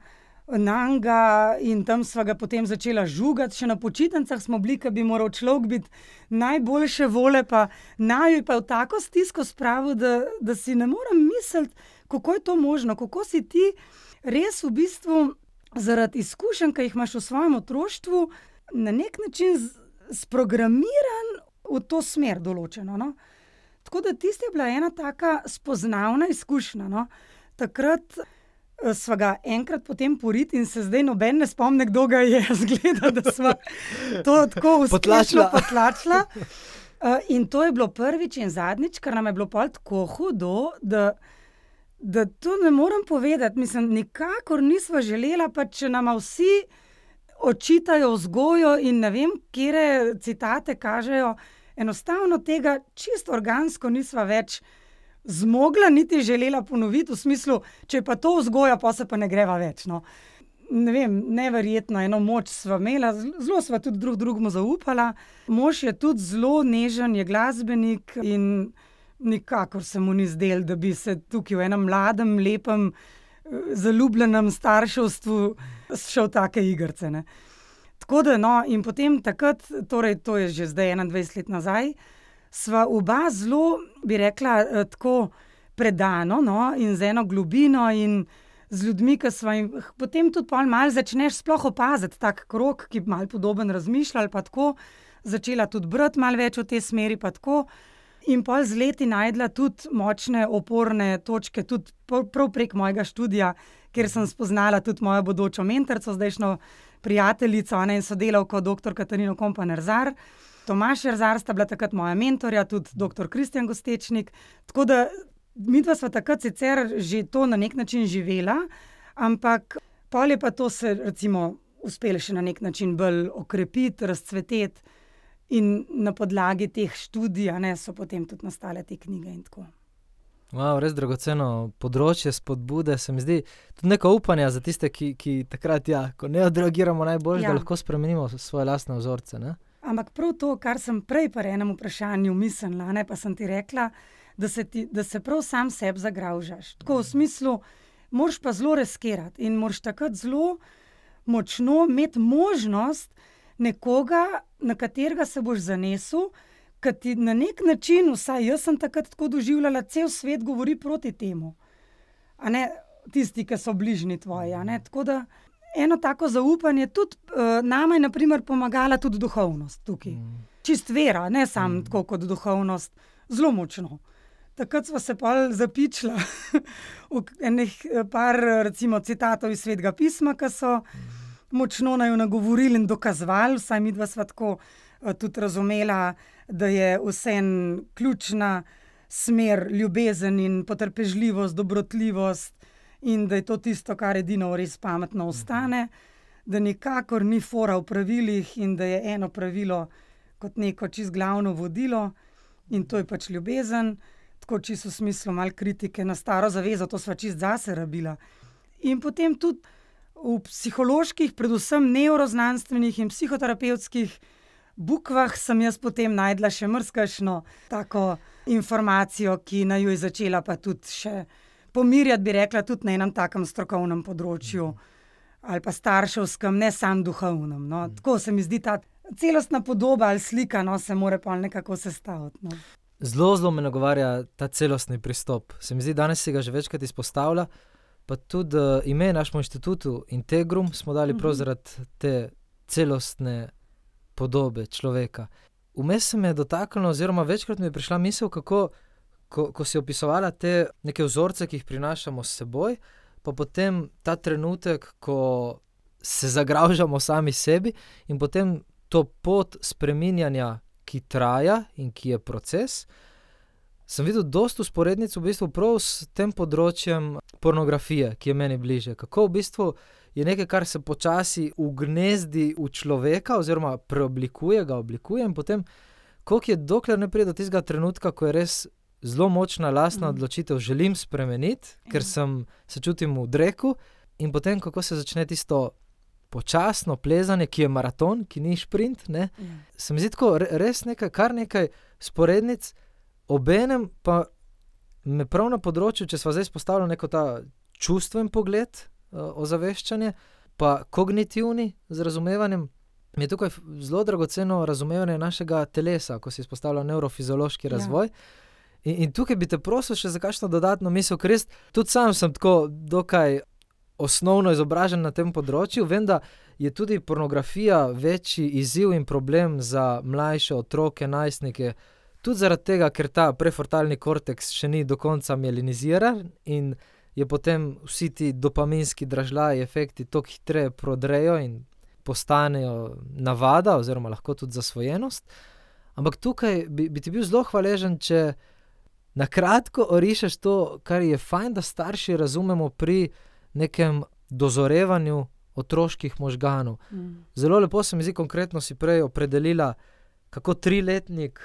nanga, in tam sva ga potem začela žugati, še na počitnicah smo bili, ko bi moral človek biti najboljše vole, pa naju pa v tako stisko spravil, da si ne morem misliti, kako je to možno, kako si ti res v bistvu zaradi izkušenj, ki jih imaš v svojem otroštvu, na nek način sprogramiran v to smer določeno, no. Tako da tista je bila ena taka spoznavna izkušnja, no. Takrat sva ga enkrat potem poriti in se zdaj noben ne spomne, kdo ga je, zgleda, da sva to tako uspešno potlačila. In to je bilo prvič in zadnjič, ker nam je bilo pol tako hudo, da to ne morem povedati. Mislim, nikakor nisva želela, pa če nama vsi očitajo vzgojo in ne vem, katere citate kažejo, enostavno tega čisto organsko nisva več zmogla, niti želela ponoviti, v smislu, če je pa to vzgoja, pa se pa ne greva več, no. Ne vem, neverjetno, eno moč sva imela, zelo sva tudi drugemu zaupala. Mož je tudi zelo nežen, je glasbenik in nikakor se mu ni zdelo, da bi se tukaj v enem mladem, lepem, zaljubljenem starševstvu šel take igrice, ne. Tako da, no, in potem takrat, torej to je že zdaj 21 let nazaj, sva oba zelo, bi rekla, tako predano, no, in z eno globino in z ljudmi, ki sva jim, potem tudi pol malo začneš sploh opaziti tak krog, ki malo podoben razmišlja ali pa tako, začela tudi brati malo več v tej smeri pa tako. In pol z leti najdla tudi močne oporne točke, tudi prav prek mojega študija, kjer sem spoznala tudi mojo bodočo mentorico, zdajšnjo prijateljico, ne, in sodelavko dr. Katarino Kompan-Erzar. Tomaž Erzar sta bila takrat moja mentorja, tudi dr. Kristjan Gostečnik. Tako da midva sva takrat sicer že to na nek način živela, ampak pol je pa to se recimo uspelo še na nek način bolj okrepiti, razcveteti. In na podlagi teh študij, ne, so potem tudi nastale te knjige in tako. Wow, res dragoceno področje, spodbude, se mi zdi tudi neko upanje za tiste, ki takrat, ko ne odreagiramo najbolj, da lahko spremenimo svoje lastne vzorce, ne? Ampak prav to, kar sem prej pri enem vprašanju mislila, ne, pa sem ti rekla, da se prav sam sebi zagravžaš. Tako v smislu, moraš pa zelo riskirati in moraš takrat zelo močno imeti možnost nekoga, na katerega se boš zanesel, ki ti na nek način, vsaj jaz sem takrat tako doživljala, cel svet govori proti temu. A ne, tisti, ki so bližnji tvoji, a ne, tako da eno tako zaupanje tudi nama je na primer pomagala tudi duhovnost tukaj. Čist vera, ne samo tako kot duhovnost, zelo močno. Takrat sva se pol zapičila v enih par recimo citatov iz Svetega pisma, ki so močno naju nagovorili in dokazovali, vsaj midva sva tako tudi razumela, da je vseeno ključna smer ljubezen in potrpežljivost, dobrotljivost in da je to tisto, kar edino res pametno ostane, da nikakor ni fora v pravilih in da je eno pravilo kot neko čisto glavno vodilo in to je pač ljubezen, tako čisto v smislu malo kritike na staro zavezo, to sva čisto zase rabila. In potem tudi v psiholoških, predvsem nevroznanstvenih in psihoterapevtskih bukvah sem jaz potem najdla še marsikakšno tako informacijo, ki naju je začela pa tudi še pomirjati, bi rekla, tudi na enem takem strokovnem področju ali pa starševskem, ne samo duhovnem, no. Tako se mi zdi ta celostna podoba ali slika, no, se more pol nekako sestaviti, no. Zelo me nagovarja ta celostni pristop. Se mi zdi, danes si ga že večkrat izpostavlja, pa tudi ime našemu inštitutu Integrum smo dali prav zaradi te celostne podobe človeka. Vmes se me je dotaknilo, oziroma večkrat mi je prišla misel, kako, ko si opisovala te neke vzorce, ki jih prinašamo s seboj, pa potem ta trenutek, ko se zagravžamo sami sebi in potem to pot spreminjanja, ki traja in ki je proces, sem videl dosti vzporednic v bistvu prav s tem področjem pornografije, ki je meni bliže. Kako v bistvu je nekaj, kar se počasi ugnezdi v človeka oziroma preoblikuje, ga oblikuje in potem, koliko je, dokler ne pride do tistega trenutka, ko je res zelo močna lastna odločitev, želim spremeniti, ker se čutim v dreku in potem, kako se začne tisto počasno plezanje, ki je maraton, ki ni šprint, ne. Se mi zdi tako res kar nekaj sporednic, obenem pa me prav na področju, če sva zdaj izpostavila neko ta čustven pogled, ozaveščanje, pa kognitivni z razumevanjem, mi je tukaj zelo dragoceno razumevanje našega telesa, ko si izpostavila nevrofiziološki razvoj. In tukaj bi te prosil še za kakšno dodatno misel, ker res tudi sam sem tako dokaj osnovno izobražen na tem področju, vem, da je tudi pornografija večji izziv in problem za mlajše otroke, najstnike, tudi zaradi tega, ker ta prefrontalni korteks še ni do konca mieliniziran in je potem vsi ti dopaminski dražljaji, efekti toliko hitreje prodrejo in postanejo navada oziroma lahko tudi zasvojenost. Ampak tukaj bi ti bil zelo hvaležen, če na kratko orišeš to, kar je fajn, da starši razumemo pri nekem dozorevanju otroških možganov. Zelo lepo se mi zdi, konkretno si prej opredelila, kako 3-letnik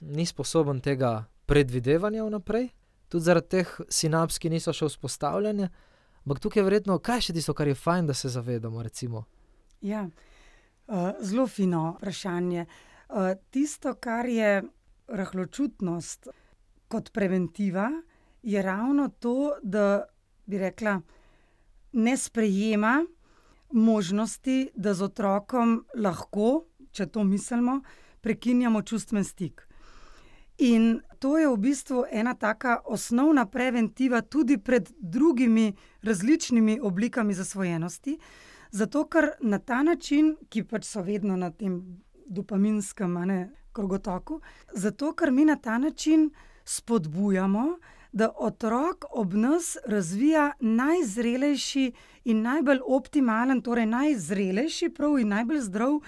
ni sposoben tega predvidevanja vnaprej, tudi zaradi teh sinaps, ki niso še vzpostavljene, ampak tukaj je verjetno, kaj je še tisto, kar je fajn, da se zavedamo, recimo? Ja, zelo fino vprašanje. Tisto, kar je rahločutnost, kot preventiva je ravno to, da bi rekla, ne sprejema možnosti, da z otrokom lahko, če to mislimo, prekinjamo čustven stik. In to je v bistvu ena taka osnovna preventiva tudi pred drugimi različnimi oblikami zasvojenosti, zato ker na ta način, ki pač so vedno na tem dopaminskem krogotoku, zato ker mi na ta način spodbujamo, da otrok ob nas razvija najzrelejši in najbolj optimalen, torej najzrelejši prav in najbolj zdrav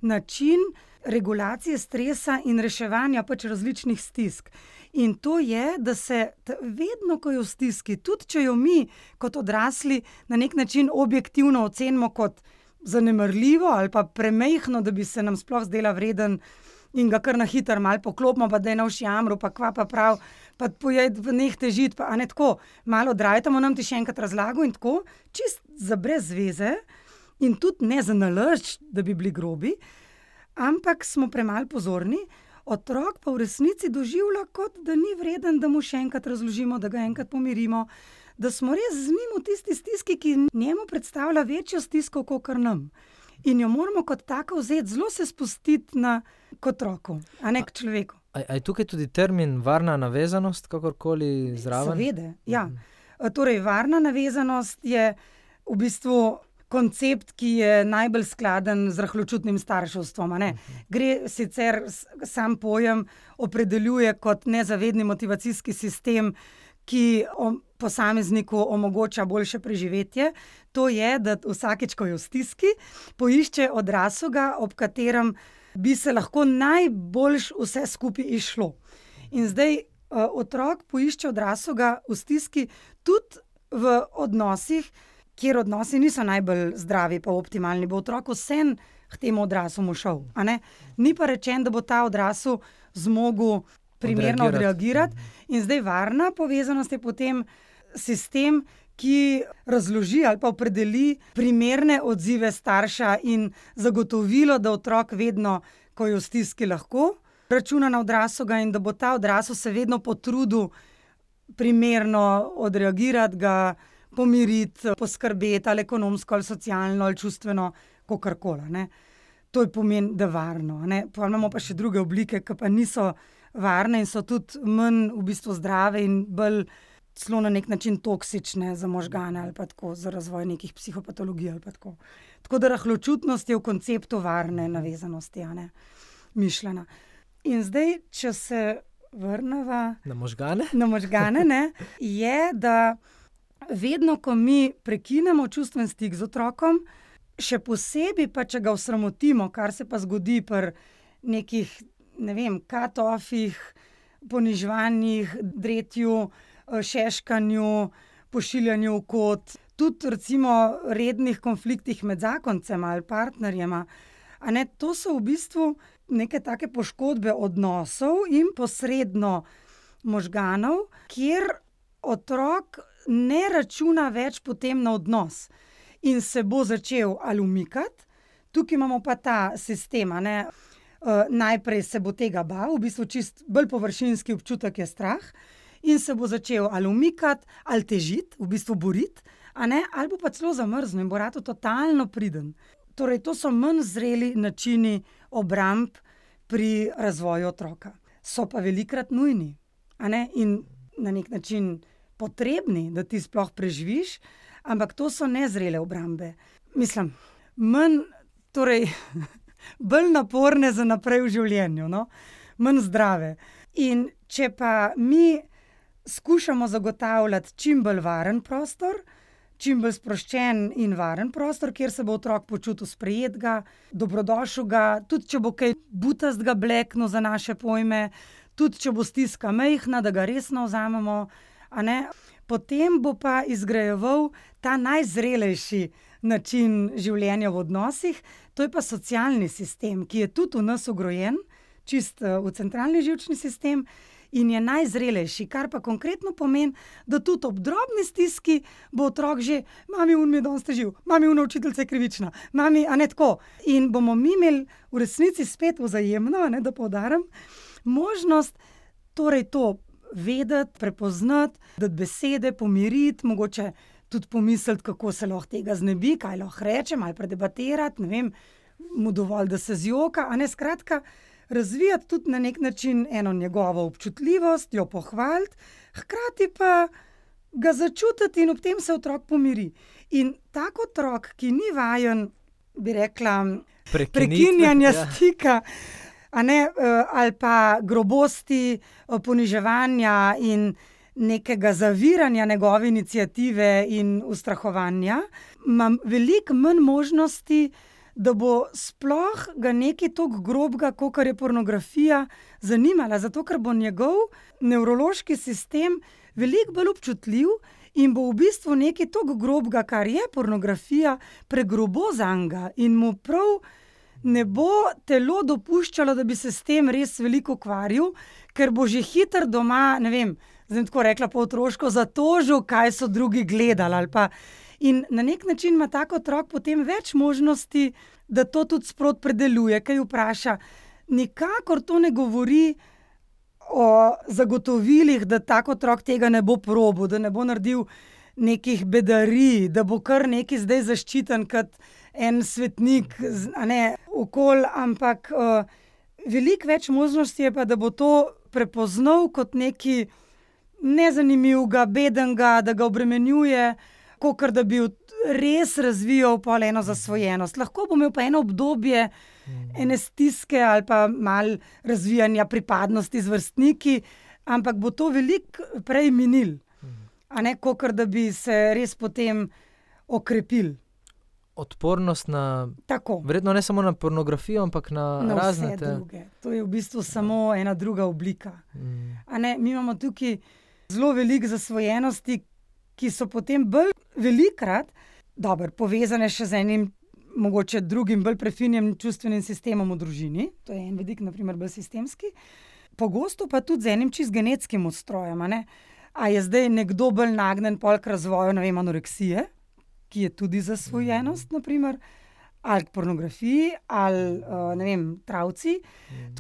način regulacije stresa in reševanja pač različnih stisk. In to je, da se vedno, ko je v stiski, tudi če jo mi kot odrasli na nek način objektivno ocenimo kot zanemarljivo ali pa premejhno, da bi se nam sploh zdela vreden in ga kar na hitro malo poklopimo, pa da je na uši jamru, pa kva pa prav, pa pojed v neh težit, pa a ne tako, malo drajtamo, nam ti še enkrat razlago in tako, čist za brez veze in tudi ne za nalašč, da bi bili grobi, ampak smo premalo pozorni, otrok pa v resnici doživlja, kot da ni vreden, da mu še enkrat razložimo, da ga enkrat pomirimo, da smo res z njim v tisti stiski, ki njemu predstavlja večjo stisko, kakor nam. In jo moramo kot tako vzeti, zelo se spustiti k otroku, a ne k človeku. A je tukaj tudi termin varna navezanost, kakorkoli zraven? Seveda, ja. Torej, varna navezanost je v bistvu koncept, ki je najbolj skladen z rahločutnim starševstvom. Gre sicer, sam pojem opredeljuje kot nezavedni motivacijski sistem, ki posamezniku omogoča boljše preživetje. To je, da vsakič, ko je v stiski, poišče odraslega, ob katerem bi se lahko najboljš vse skupaj izšlo. In zdaj otrok poišče odraslega v stiski tudi v odnosih, kjer odnosi niso najbolj zdravi pa optimalni, bo otrok vsem k temu odraslu šel. Ni pa rečen, da bo ta odrasel zmogel primerno odreagirati. In zdaj varna povezanost je potem sistem, ki razloži ali pa opredeli primerne odzive starša in zagotovilo, da otrok vedno, ko je v stiski, lahko računa na odraslega in da bo ta odrasel se vedno potrudil primerno odreagirati, ga pomiriti, poskrbeti ali ekonomsko, ali socialno, ali čustveno, kakorkoli. To je pomen, da varno. Pa imamo pa še druge oblike, ki pa niso varne in so tudi manj v bistvu zdrave in bolj celo na nek način toksične za možgane ali pa tako, za razvoj nekih psihopatologij ali pa tako. Tako da rahločutnost je v konceptu varne navezanosti, mišljena. In zdaj, če se vrneva na možgane, je, da vedno, ko mi prekinemo čustven stik z otrokom, še posebej pa, če ga osramotimo, kar se pa zgodi pri nekih, katofih, poniževanjih, dretju, šeškanju, pošiljanju v kot, tudi recimo rednih konfliktih med zakoncema ali partnerjema. To so v bistvu neke take poškodbe odnosov in posredno možganov, kjer otrok ne računa več potem na odnos in se bo začel ali umikati. Tukaj imamo pa ta sistem, najprej se bo tega bal, v bistvu čist bolj površinski občutek je strah in se bo začel ali umikati, ali težiti, v bistvu boriti, ali bo pa celo zamrznil in bo ratal totalno priden. Torej, to so manj zreli načini obramb pri razvoju otroka. So pa velikrat nujni, in na nek način potrebni, da ti sploh preživiš, ampak to so nezrele obrambe. Mislim, torej bolj naporne za naprej v življenju, manj zdrave. In če pa mi skušamo zagotavljati čim bolj varen prostor, čim bolj sproščen in varen prostor, kjer se bo otrok počutil sprejetega, dobrodošlega, tudi če bo kaj butastega bleknil za naše pojme, tudi če bo stiska majhna, da ga resno vzamemo, potem bo pa izgrajeval ta najzrelejši način življenja v odnosih, to je pa socialni sistem, ki je tudi v nas vgrojen, čist v centralni živčni sistem in je najzrelejši, kar pa konkretno pomeni, da tudi ob drobni stiski bo otrok že, mami, mi je danes težil, mami, učiteljica je krivična, mami, tako. In bomo mi imeli v resnici spet vzajemno, da poudarim, možnost torej to vedeti, prepoznati, dati besede, pomiriti, mogoče tudi pomisliti, kako se lahko tega znebi, kaj lahko reče, malo predebatirati, ne vem, mu dovolj, da se zjoka, a ne, skratka, razvijati tudi na nek način eno njegovo občutljivost, jo pohvaliti, hkrati pa ga začutiti in ob tem se otrok pomiri. In tak otrok, ki ni vajen, bi rekla, prekinjanja stika, a ne, ali pa grobosti, poniževanja in nekega zaviranja njegove iniciative in ustrahovanja, ima veliko manj možnosti, da bo sploh ga nekaj toliko grobega, kakor je pornografija, zanimala, zato ker bo njegov nevrološki sistem veliko bolj občutljiv in bo v bistvu nekaj toliko grobega, kar je pornografija, pregrobo zanj in mu prav ne bo telo dopuščalo, da bi se s tem res veliko ukvarjal, ker bo že hitro doma, ne vem, zdaj tako rekla po otroško, zatožil, kaj so drugi gledali ali pa. In na nek način ima tak otrok potem več možnosti, da to tudi sprot predeluje, kaj vpraša. Nikakor to ne govori o zagotovilih, da tak otrok tega ne bo probil, da ne bo naredil nekih bedarij, da bo kar neki zdaj zaščiten kot en svetnik, a ne, okoli, ampak veliko več možnosti je pa, da bo to prepoznal kot neki nezanimivega, bedenga, da ga obremenjuje, kakor da bi res razvijal pol eno zasvojenost. Lahko bo imel pa eno obdobje ene stiske ali pa malo razvijanja pripadnosti z vrstniki, ampak bo to veliko prej minil, a ne, kakor da bi se res potem okrepil. Odpornost na, tako, verjetno ne samo na pornografijo, ampak na razne vse druge. To je v bistvu samo ena druga oblika. A ne, mi imamo tukaj zelo veliko zasvojenosti, ki so potem bolj velikokrat povezane še z enim mogoče drugim, bolj prefinjenim čustvenim sistemom v družini. To je en vidik, na primer, bolj sistemski. Pogosto pa tudi z enim čist genetskim ustrojem, a ne. A je zdaj nekdo bolj nagnjen pol k razvoju, ne vem, anoreksije, ki je tudi zasvojenost, na primer, ali k pornografiji, ali, ne vem, travci.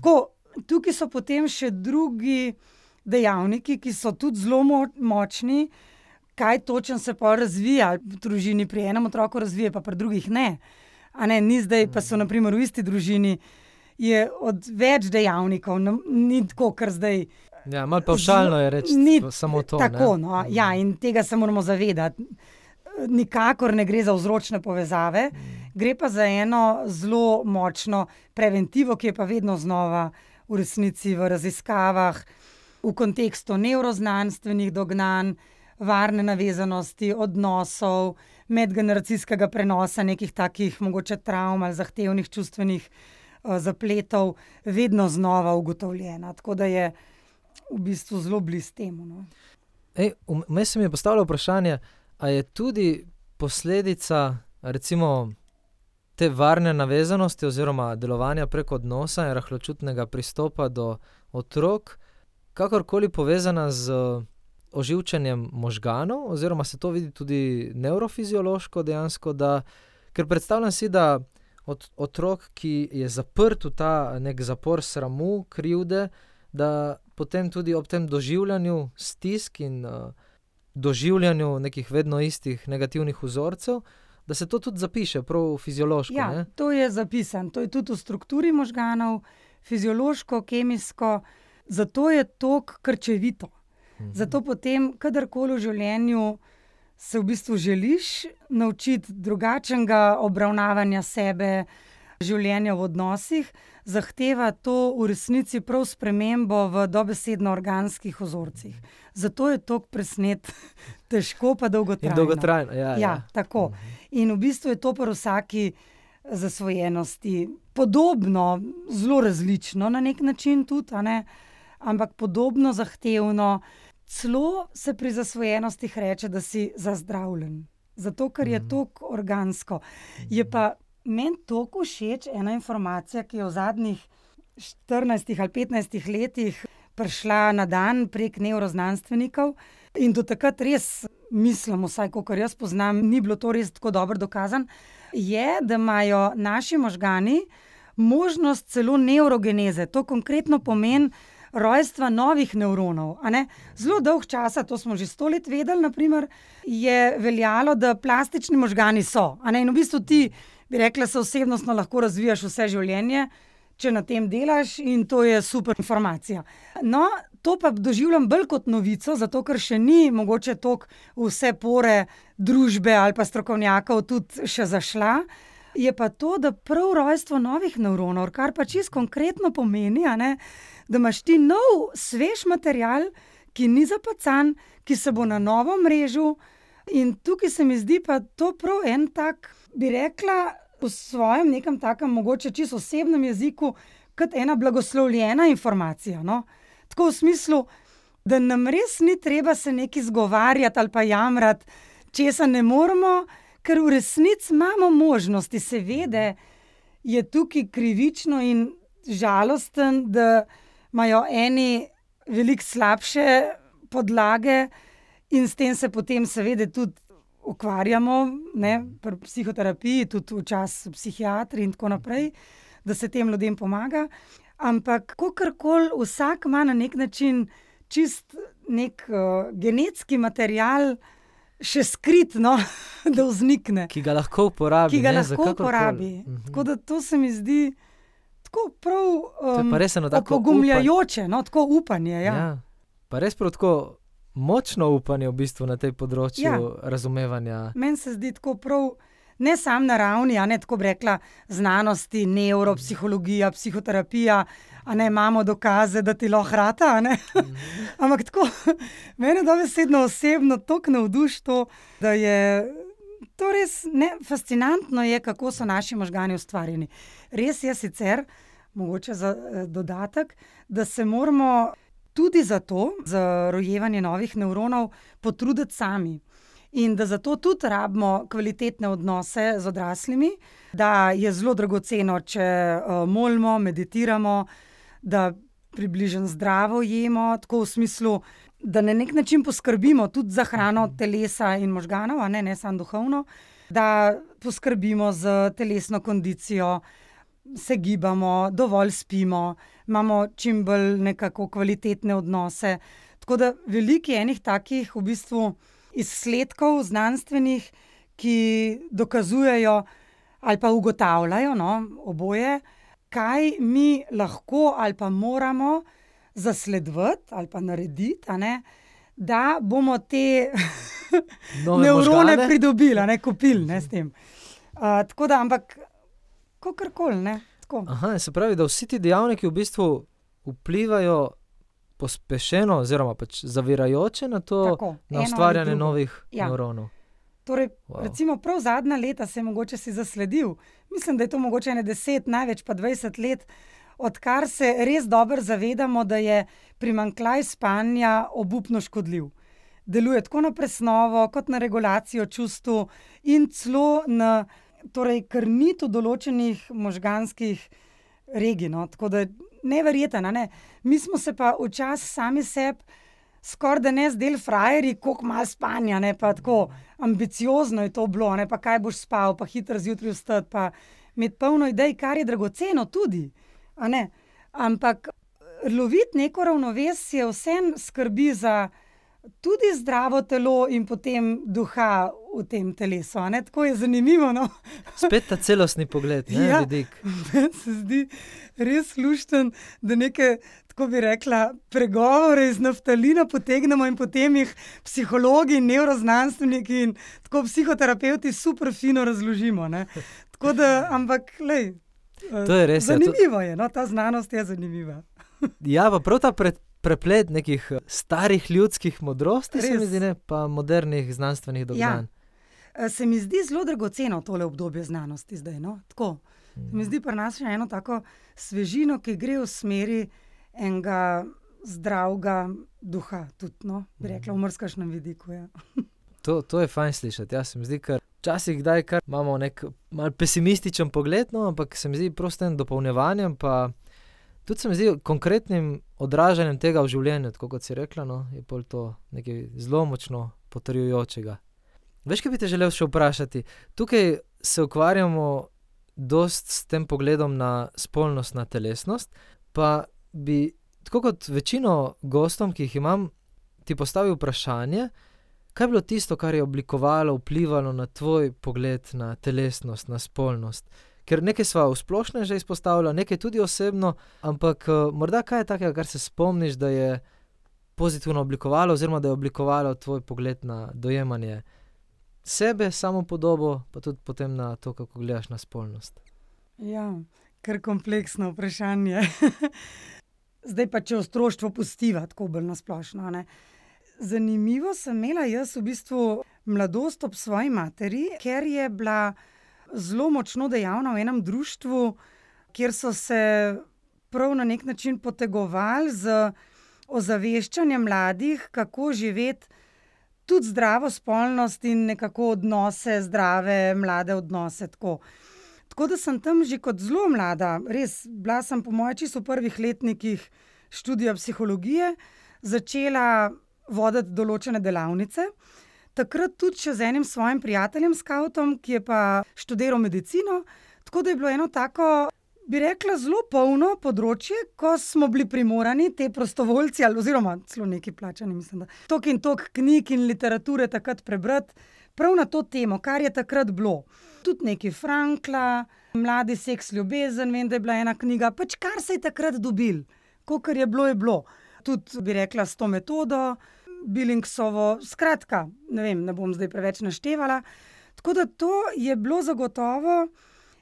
Tako, tukaj so potem še drugi dejavniki, ki so tudi zelo močni, kaj točno se pa razvija v družini, pri enem otroku razvije, pa pri drugih ne. A ne, ni zdaj, pa so na primer v isti družini, je od več dejavnikov, ni tako, kar zdaj. Ja, malo pavšalno je reči samo to. Tako, ne? No, ja, in tega se moramo zavedati. Nikakor ne gre za vzročne povezave, gre pa za eno zelo močno preventivo, ki je pa vedno znova v resnici v raziskavah, v kontekstu nevroznanstvenih dognanj, varne navezanosti, odnosov, medgeneracijskega prenosa nekih takih mogoče travm ali zahtevnih čustvenih zapletov, vedno znova ugotovljena. Tako da je v bistvu zelo blizu temu. No. Vmes se mi je postavilo vprašanje, a je tudi posledica recimo te varne navezanosti oziroma delovanja preko odnosa in rahločutnega pristopa do otrok kakorkoli povezana z oživčanjem možganov, oziroma se to vidi tudi nevrofiziološko dejansko, ker predstavljam si, da otrok, ki je zaprt v ta nek zapor sramu, krivde, da potem tudi ob tem doživljanju stisk in doživljanju nekih vedno istih negativnih vzorcev, da se to tudi zapiše prav fiziološko. Ja, ne? To je zapisano. To je tudi v strukturi možganov, fiziološko, kemijsko, zato je to krčevito. Zato potem, kadarkoli v življenju se v bistvu želiš naučiti drugačnega obravnavanja sebe, življenja v odnosih, zahteva to v resnici prav spremembo v dobesedno organskih vzorcih. Zato je to presnet težko pa dolgotrajno. In dolgotrajno, ja. Tako. In v bistvu je to pri vsaki zasvojenosti podobno, zelo različno na nek način tudi, a ne? Ampak podobno zahtevno. Celo se pri zasvojenostih reče, da si zazdravljen. Zato, ker je toliko organsko. Je pa meni toliko všeč ena informacija, ki je v zadnjih 14 ali 15 letih prišla na dan prek nevroznanstvenikov in do takrat res mislim, vsaj kolikor jaz poznam, ni bilo to res tako dobro dokazano, je, da imajo naši možgani možnost celo nevrogeneze. To konkretno pomeni rojstva novih nevronov. A ne? Zelo dolg časa, to smo že 100 let vedeli, naprimer, je veljalo, da plastični možgani so. A ne? In v bistvu ti, bi rekla, se osebnostno lahko razvijaš vse življenje, če na tem delaš, in to je super informacija. No, to pa doživljam bolj kot novico, zato ker še ni mogoče toliko vse pore družbe ali pa strokovnjakov tudi še zašla. Je pa to, da prav rojstvo novih nevronov, kar pa čisto konkretno pomeni, a ne, da imaš ti nov, svež material, ki ni zapacan, ki se bo na novo mrežil. In tukaj se mi zdi pa to prav en tak, bi rekla, v svojem nekem takem mogoče čisto osebnem jeziku, kot ena blagoslovljena informacija. No? Tako v smislu, da nam res ni treba se nekaj zgovarjati ali pa jamrati, česa ne moremo, ker v resnici imamo možnosti. Seveda je tukaj krivično in žalosten, da imajo eni veliko slabše podlage in s tem se potem seveda tudi ukvarjamo, ne, pri psihoterapiji, tudi včasih psihiatri in tako naprej, da se tem ljudem pomaga. Ampak kakorkoli vsak ima na nek način čist nek genetski material še skrit, no, da vznikne. Ki ga lahko uporabi. Tako da to se mi zdi tako prav opogumljajoče, no, tako upanje. Ja. Ja. Pa res prav tako močno upanje v bistvu na tej področju razumevanja. Meni se zdi tako prav, ne sam na ravni, a ne tako bi rekla, znanosti, neuropsihologija, psihoterapija, a ne imamo dokaze, da ti lahko rata, a ne. Ampak tako, mene dobesedno osebno toliko navduši to, da je to res fascinantno je, kako so naši možgani ustvarjeni. Res je sicer, mogoče za dodatek, da se moramo tudi zato, za rojevanje novih nevronov, potruditi sami. In da zato tudi rabimo kvalitetne odnose z odraslimi, da je zelo dragoceno, če molimo, meditiramo, da približno zdravo jemo, tako v smislu, da na nek način poskrbimo tudi za hrano telesa in možganov, a ne samo duhovno, da poskrbimo za telesno kondicijo, se gibamo, dovolj spimo, imamo čim bolj nekako kvalitetne odnose. Tako da veliko je enih takih v bistvu izsledkov znanstvenih, ki dokazujejo ali pa ugotavljajo, no, oboje, kaj mi lahko ali pa moramo zasledovati ali pa narediti, a ne, da bomo te nevrone pridobili, a ne, kupili, ne, s tem. Tako da, ampak kakorkoli, ne, tako. Aha, se pravi, da vsi ti dejavniki v bistvu vplivajo pospešeno oziroma pač zavirajoče na to, tako, na ustvarjanje novih nevronov. Torej, recimo prav zadnja leta se je mogoče si zasledil, mislim, da je to mogoče 10, največ pa 20 let, odkar se res dobro zavedamo, da je primanjkljaj spanja obupno škodljiv. Deluje tako na presnovo, kot na regulacijo čustev in celo na krnitev določenih možganskih regij, no. Tako da neverjetno, ne. Mi smo se pa včasih sami sebi skoraj da ne zdeli frajerji, koliko malo spanja, ne, pa tako ambiciozno je to bilo, ne, pa kaj boš spal, pa hitro zjutraj vstati, pa imeti polno idej, kar je dragoceno tudi, a ne. Ampak loviti neko ravnovesje vseeno skrbi za tudi zdravo telo in potem duha v tem telesu, a ne, tako je zanimivo, no. Spet ta celostni pogled, ne, vidik. Meni se zdi res lušten, da neke, tako bi rekla, pregovore iz naftalina potegnemo in potem jih psihologi in nevroznanstveniki in tako psihoterapevti super fino razložimo, ne. Tako da, ampak, glej, to je res, zanimivo je, no, ta znanost je zanimiva. Ja, pa prav ta preplet nekih starih ljudskih modrosti, se mi zdi, ne, pa modernih znanstvenih dognanj. Ja. Se mi zdi zelo dragoceno tole obdobje znanosti zdaj, no, tako. Se mi zdi pri nas še eno tako svežino, ki gre v smeri enega zdravega duha tudi, no, bi rekla, v mrskašnem vidiku, ja. To je fajn slišati, ja, se mi zdi, ker včasih kdaj kar imamo nek mal pesimističen pogled, no, ampak se mi zdi prostem dopolnjevanjem, pa tudi se mi zdi konkretnim odražanjem tega v življenju, tako kot si rekla, no, je pol to nekaj zelo močno potrjujočega. Veš, kaj bi te želel še vprašati? Tukaj se ukvarjamo dost s tem pogledom na spolnost, na telesnost, pa bi tako kot večino gostom, ki jih imam, ti postavi vprašanje, kaj je bilo tisto, kar je oblikovalo, vplivalo na tvoj pogled na telesnost, na spolnost. Ker nekaj sva v splošnem že izpostavila, nekaj tudi osebno, ampak morda kaj je takega, kar se spomniš, da je pozitivno oblikovalo oziroma da je oblikovalo tvoj pogled na dojemanje sebe, samopodobo, pa tudi potem na to, kako gledaš na spolnost. Ja, kar kompleksno vprašanje. Zdaj pa, če otroštvo pustiva, tako bolj nasplošno, ne. Zanimivo sem imela jaz v bistvu mladost ob svoji materi, ker je bila zelo močno dejavna v enem društvu, kjer so se prav na nek način potegovali z ozaveščanjem mladih, kako živeti tudi zdravo spolnost in nekako odnose, zdrave mlade odnose, tako. Tako da sem tam že kot zelo mlada, res, bila sem po moje čisto v prvih letnikih študija psihologije, začela voditi določene delavnice. Takrat tudi še z enim svojim prijateljem, skavtom, ki je pa študiral medicino, tako da je bilo eno tako, bi rekla, zelo polno področje, ko smo bili primorani te prostovoljci, oziroma celo neki plačani, mislim, da toliko in toliko knjig in literature takrat prebrati, prav na to temo, kar je takrat bilo. Tudi neki Frankla, Mladi seks, ljubezen, vem, da je bila ena knjiga, pač kar se je takrat dobil, kakor je bilo, je bilo. Tudi, bi rekla, s to metodo, Billingsovo, skratka, ne vem, ne bom zdaj preveč naštevala. Tako da to je bilo zagotovo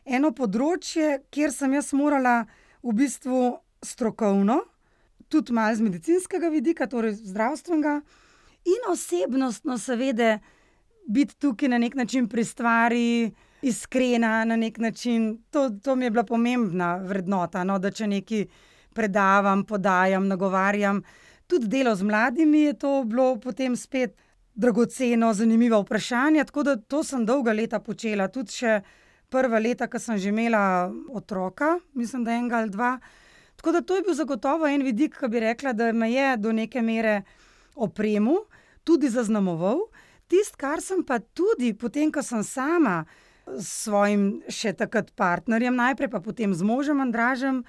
eno področje, kjer sem jaz morala v bistvu strokovno, tudi malo z medicinskega vidika, torej zdravstvenega, in osebnostno seveda biti tukaj na nek način pri stvari, iskrena na nek način. To mi je bila pomembna vrednota, no, da če nekaj predavam, podajam, nagovarjam. Tudi delo z mladimi je to bilo potem spet dragoceno, zanimiva vprašanja, tako da to sem dolga leta počela. Tudi še prva leta, ko sem že imela otroka, mislim, da enega ali dva. Tako da to je bil zagotovo en vidik, ki bi rekla, da me je do neke mere opremil, tudi zaznamoval. Tisto, kar sem pa tudi potem, ko sem sama s svojim še takrat partnerjem, najprej pa potem z možem Andražem,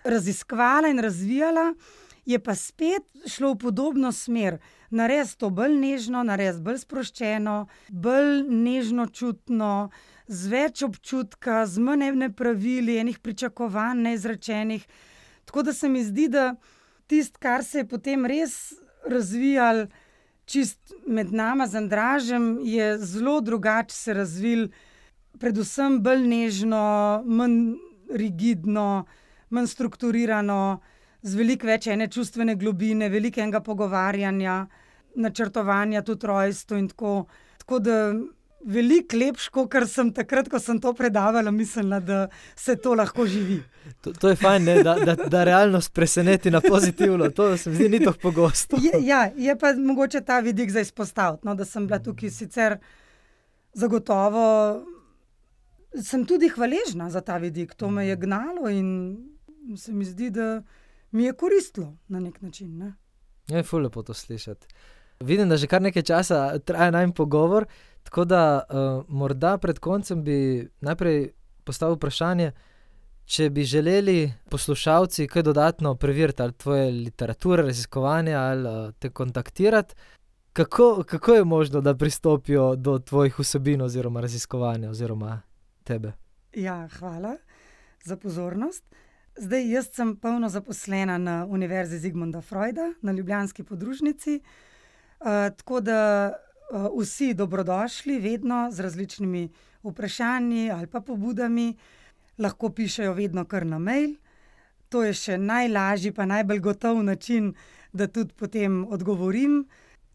raziskvala in razvijala, je pa spet šlo v podobno smer. Narediti to bolj nežno, narediti bolj sproščeno, bolj nežno čutno, z več občutka, z manj nepravili, enih pričakovanj neizrečenih. Tako da se mi zdi, da tisto, kar se je potem res razvijalo čist med nama z Andražem, je zelo drugače se razvil, predvsem bolj nežno, manj rigidno, manj strukturirano, z veliko več ene čustvene globine, veliko enega pogovarjanja, načrtovanja tudi rojstvo in tako. Tako da veliko lepše, kakor sem takrat, ko sem to predavala, mislila, da se to lahko živi. To je fajn, ne? Da realnost preseneti na pozitivno. To se mi zdi ni tako pogosto. Je pa mogoče ta vidik za izpostaviti, no, da sem bila tukaj sicer zagotovo, sem tudi hvaležna za ta vidik. To me je gnalo in se mi zdi, da mi je koristilo na nek način. Ne? Je ful lepo to slišati. Vidim, da že kar nekaj časa traja najin pogovor, tako da morda pred koncem bi najprej postavil vprašanje, če bi želeli poslušalci kaj dodatno preveriti, ali tvoje literature, raziskovanja, ali te kontaktirati, kako je možno, da pristopijo do tvojih vsebin oziroma raziskovanja oziroma tebe? Ja, hvala za pozornost. Zdaj, jaz sem polno zaposlena na Univerzi Zigmunda Freuda, na ljubljanski podružnici, tako da vsi dobrodošli vedno z različnimi vprašanji ali pa pobudami, lahko pišejo vedno kar na mail. To je še najlažji pa najbolj gotov način, da tudi potem odgovorim.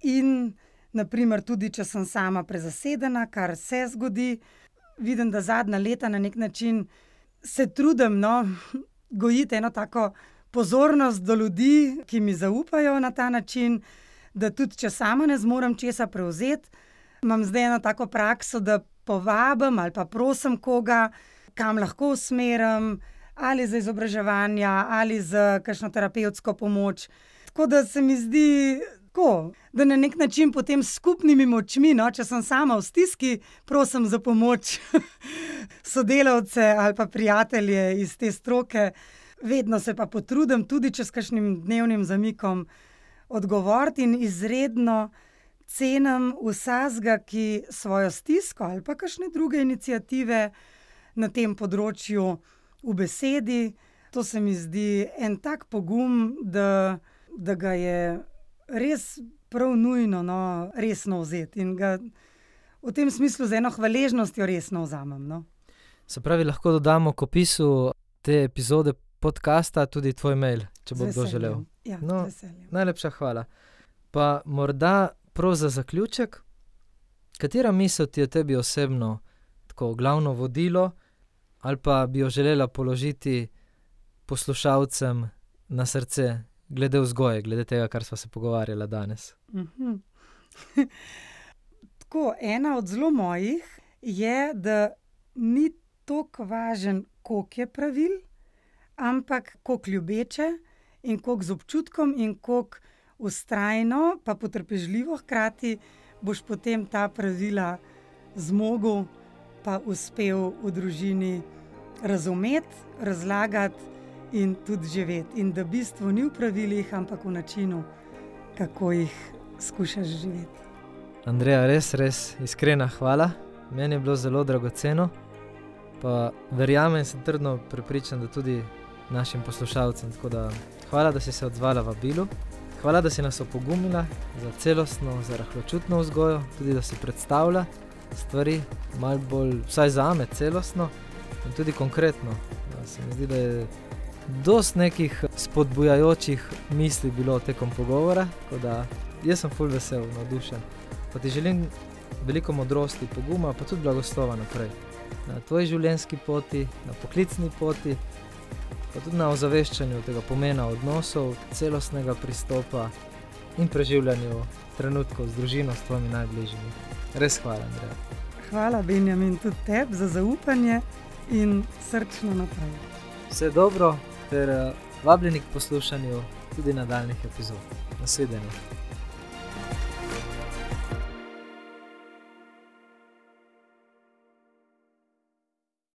In naprimer tudi, če sem sama prezasedena, kar se zgodi, vidim, da zadnja leta na nek način se trudim, gojiti eno tako pozornost do ljudi, ki mi zaupajo na ta način, da tudi, če sama ne zmorem česa prevzeti, imam zdaj eno tako prakso, da povabim ali pa prosim koga, kam lahko usmerim, ali za izobraževanja, ali za kakšno terapevtsko pomoč. Tako da se mi zdi tako, da na nek način potem s skupnimi močmi, če sem sama v stiski, prosim za pomoč sodelavce ali pa prijatelje iz te stroke, vedno se pa potrudim, tudi če s kakšnim dnevnim zamikom odgovoriti in izredno cenim vsakega, ki svojo stisko ali pa kakšne druge iniciative na tem področju v besedi. To se mi zdi en tak pogum, da ga je res prav nujno resno vzeti in ga v tem smislu z eno hvaležnostjo resno vzamem. No. Se pravi, lahko dodamo k opisu te epizode podcasta tudi tvoj mail, če bo kdo želel. Ja, No, z veseljem. Najlepša hvala. Pa morda prav za zaključek, katera misel ti je tebi osebno tako glavno vodilo ali pa bi jo želela položiti poslušalcem na srce glede vzgoje, glede tega, kar sva se pogovarjala danes? Tako, ena od zelo mojih je, da ni toliko važen, koliko je pravil, ampak koliko ljubeče in koliko z občutkom in koliko vztrajno pa potrpežljivo hkrati boš potem ta pravila zmogel pa uspel v družini razumeti, razlagati in tudi živeti. In da bistvo ni v pravilih, ampak v načinu, kako jih skušaš živeti. Andreja, res iskrena hvala. Meni je bilo zelo dragoceno, pa verjamem in sem trdno prepričan, da tudi našim poslušalcem. Tako da hvala, da si se odzvala vabilu. Hvala, da si nas opogumila za celostno, za rahločutno vzgojo, tudi da si predstavlja stvari malo bolj, vsaj zame, celostno in tudi konkretno. Se mi zdi, da je dosti nekih spodbujajočih misli bilo tekom pogovora, tako da jaz sem ful vesel, navdušen. Pa ti želim veliko modrosti, poguma, pa tudi blagoslova naprej. Na tvoji življenjski poti, na poklicni poti, pa tudi na ozaveščanju tega pomena odnosov, celostnega pristopa in preživljanju trenutkov z družino, s tvojimi najbližjimi. Res hvala, Andreja. Hvala, Benjamin, tudi tebi za zaupanje in srčno naprej. Vse dobro ter vabljeni k poslušanju tudi nadaljnjih epizod. Nasvidenje.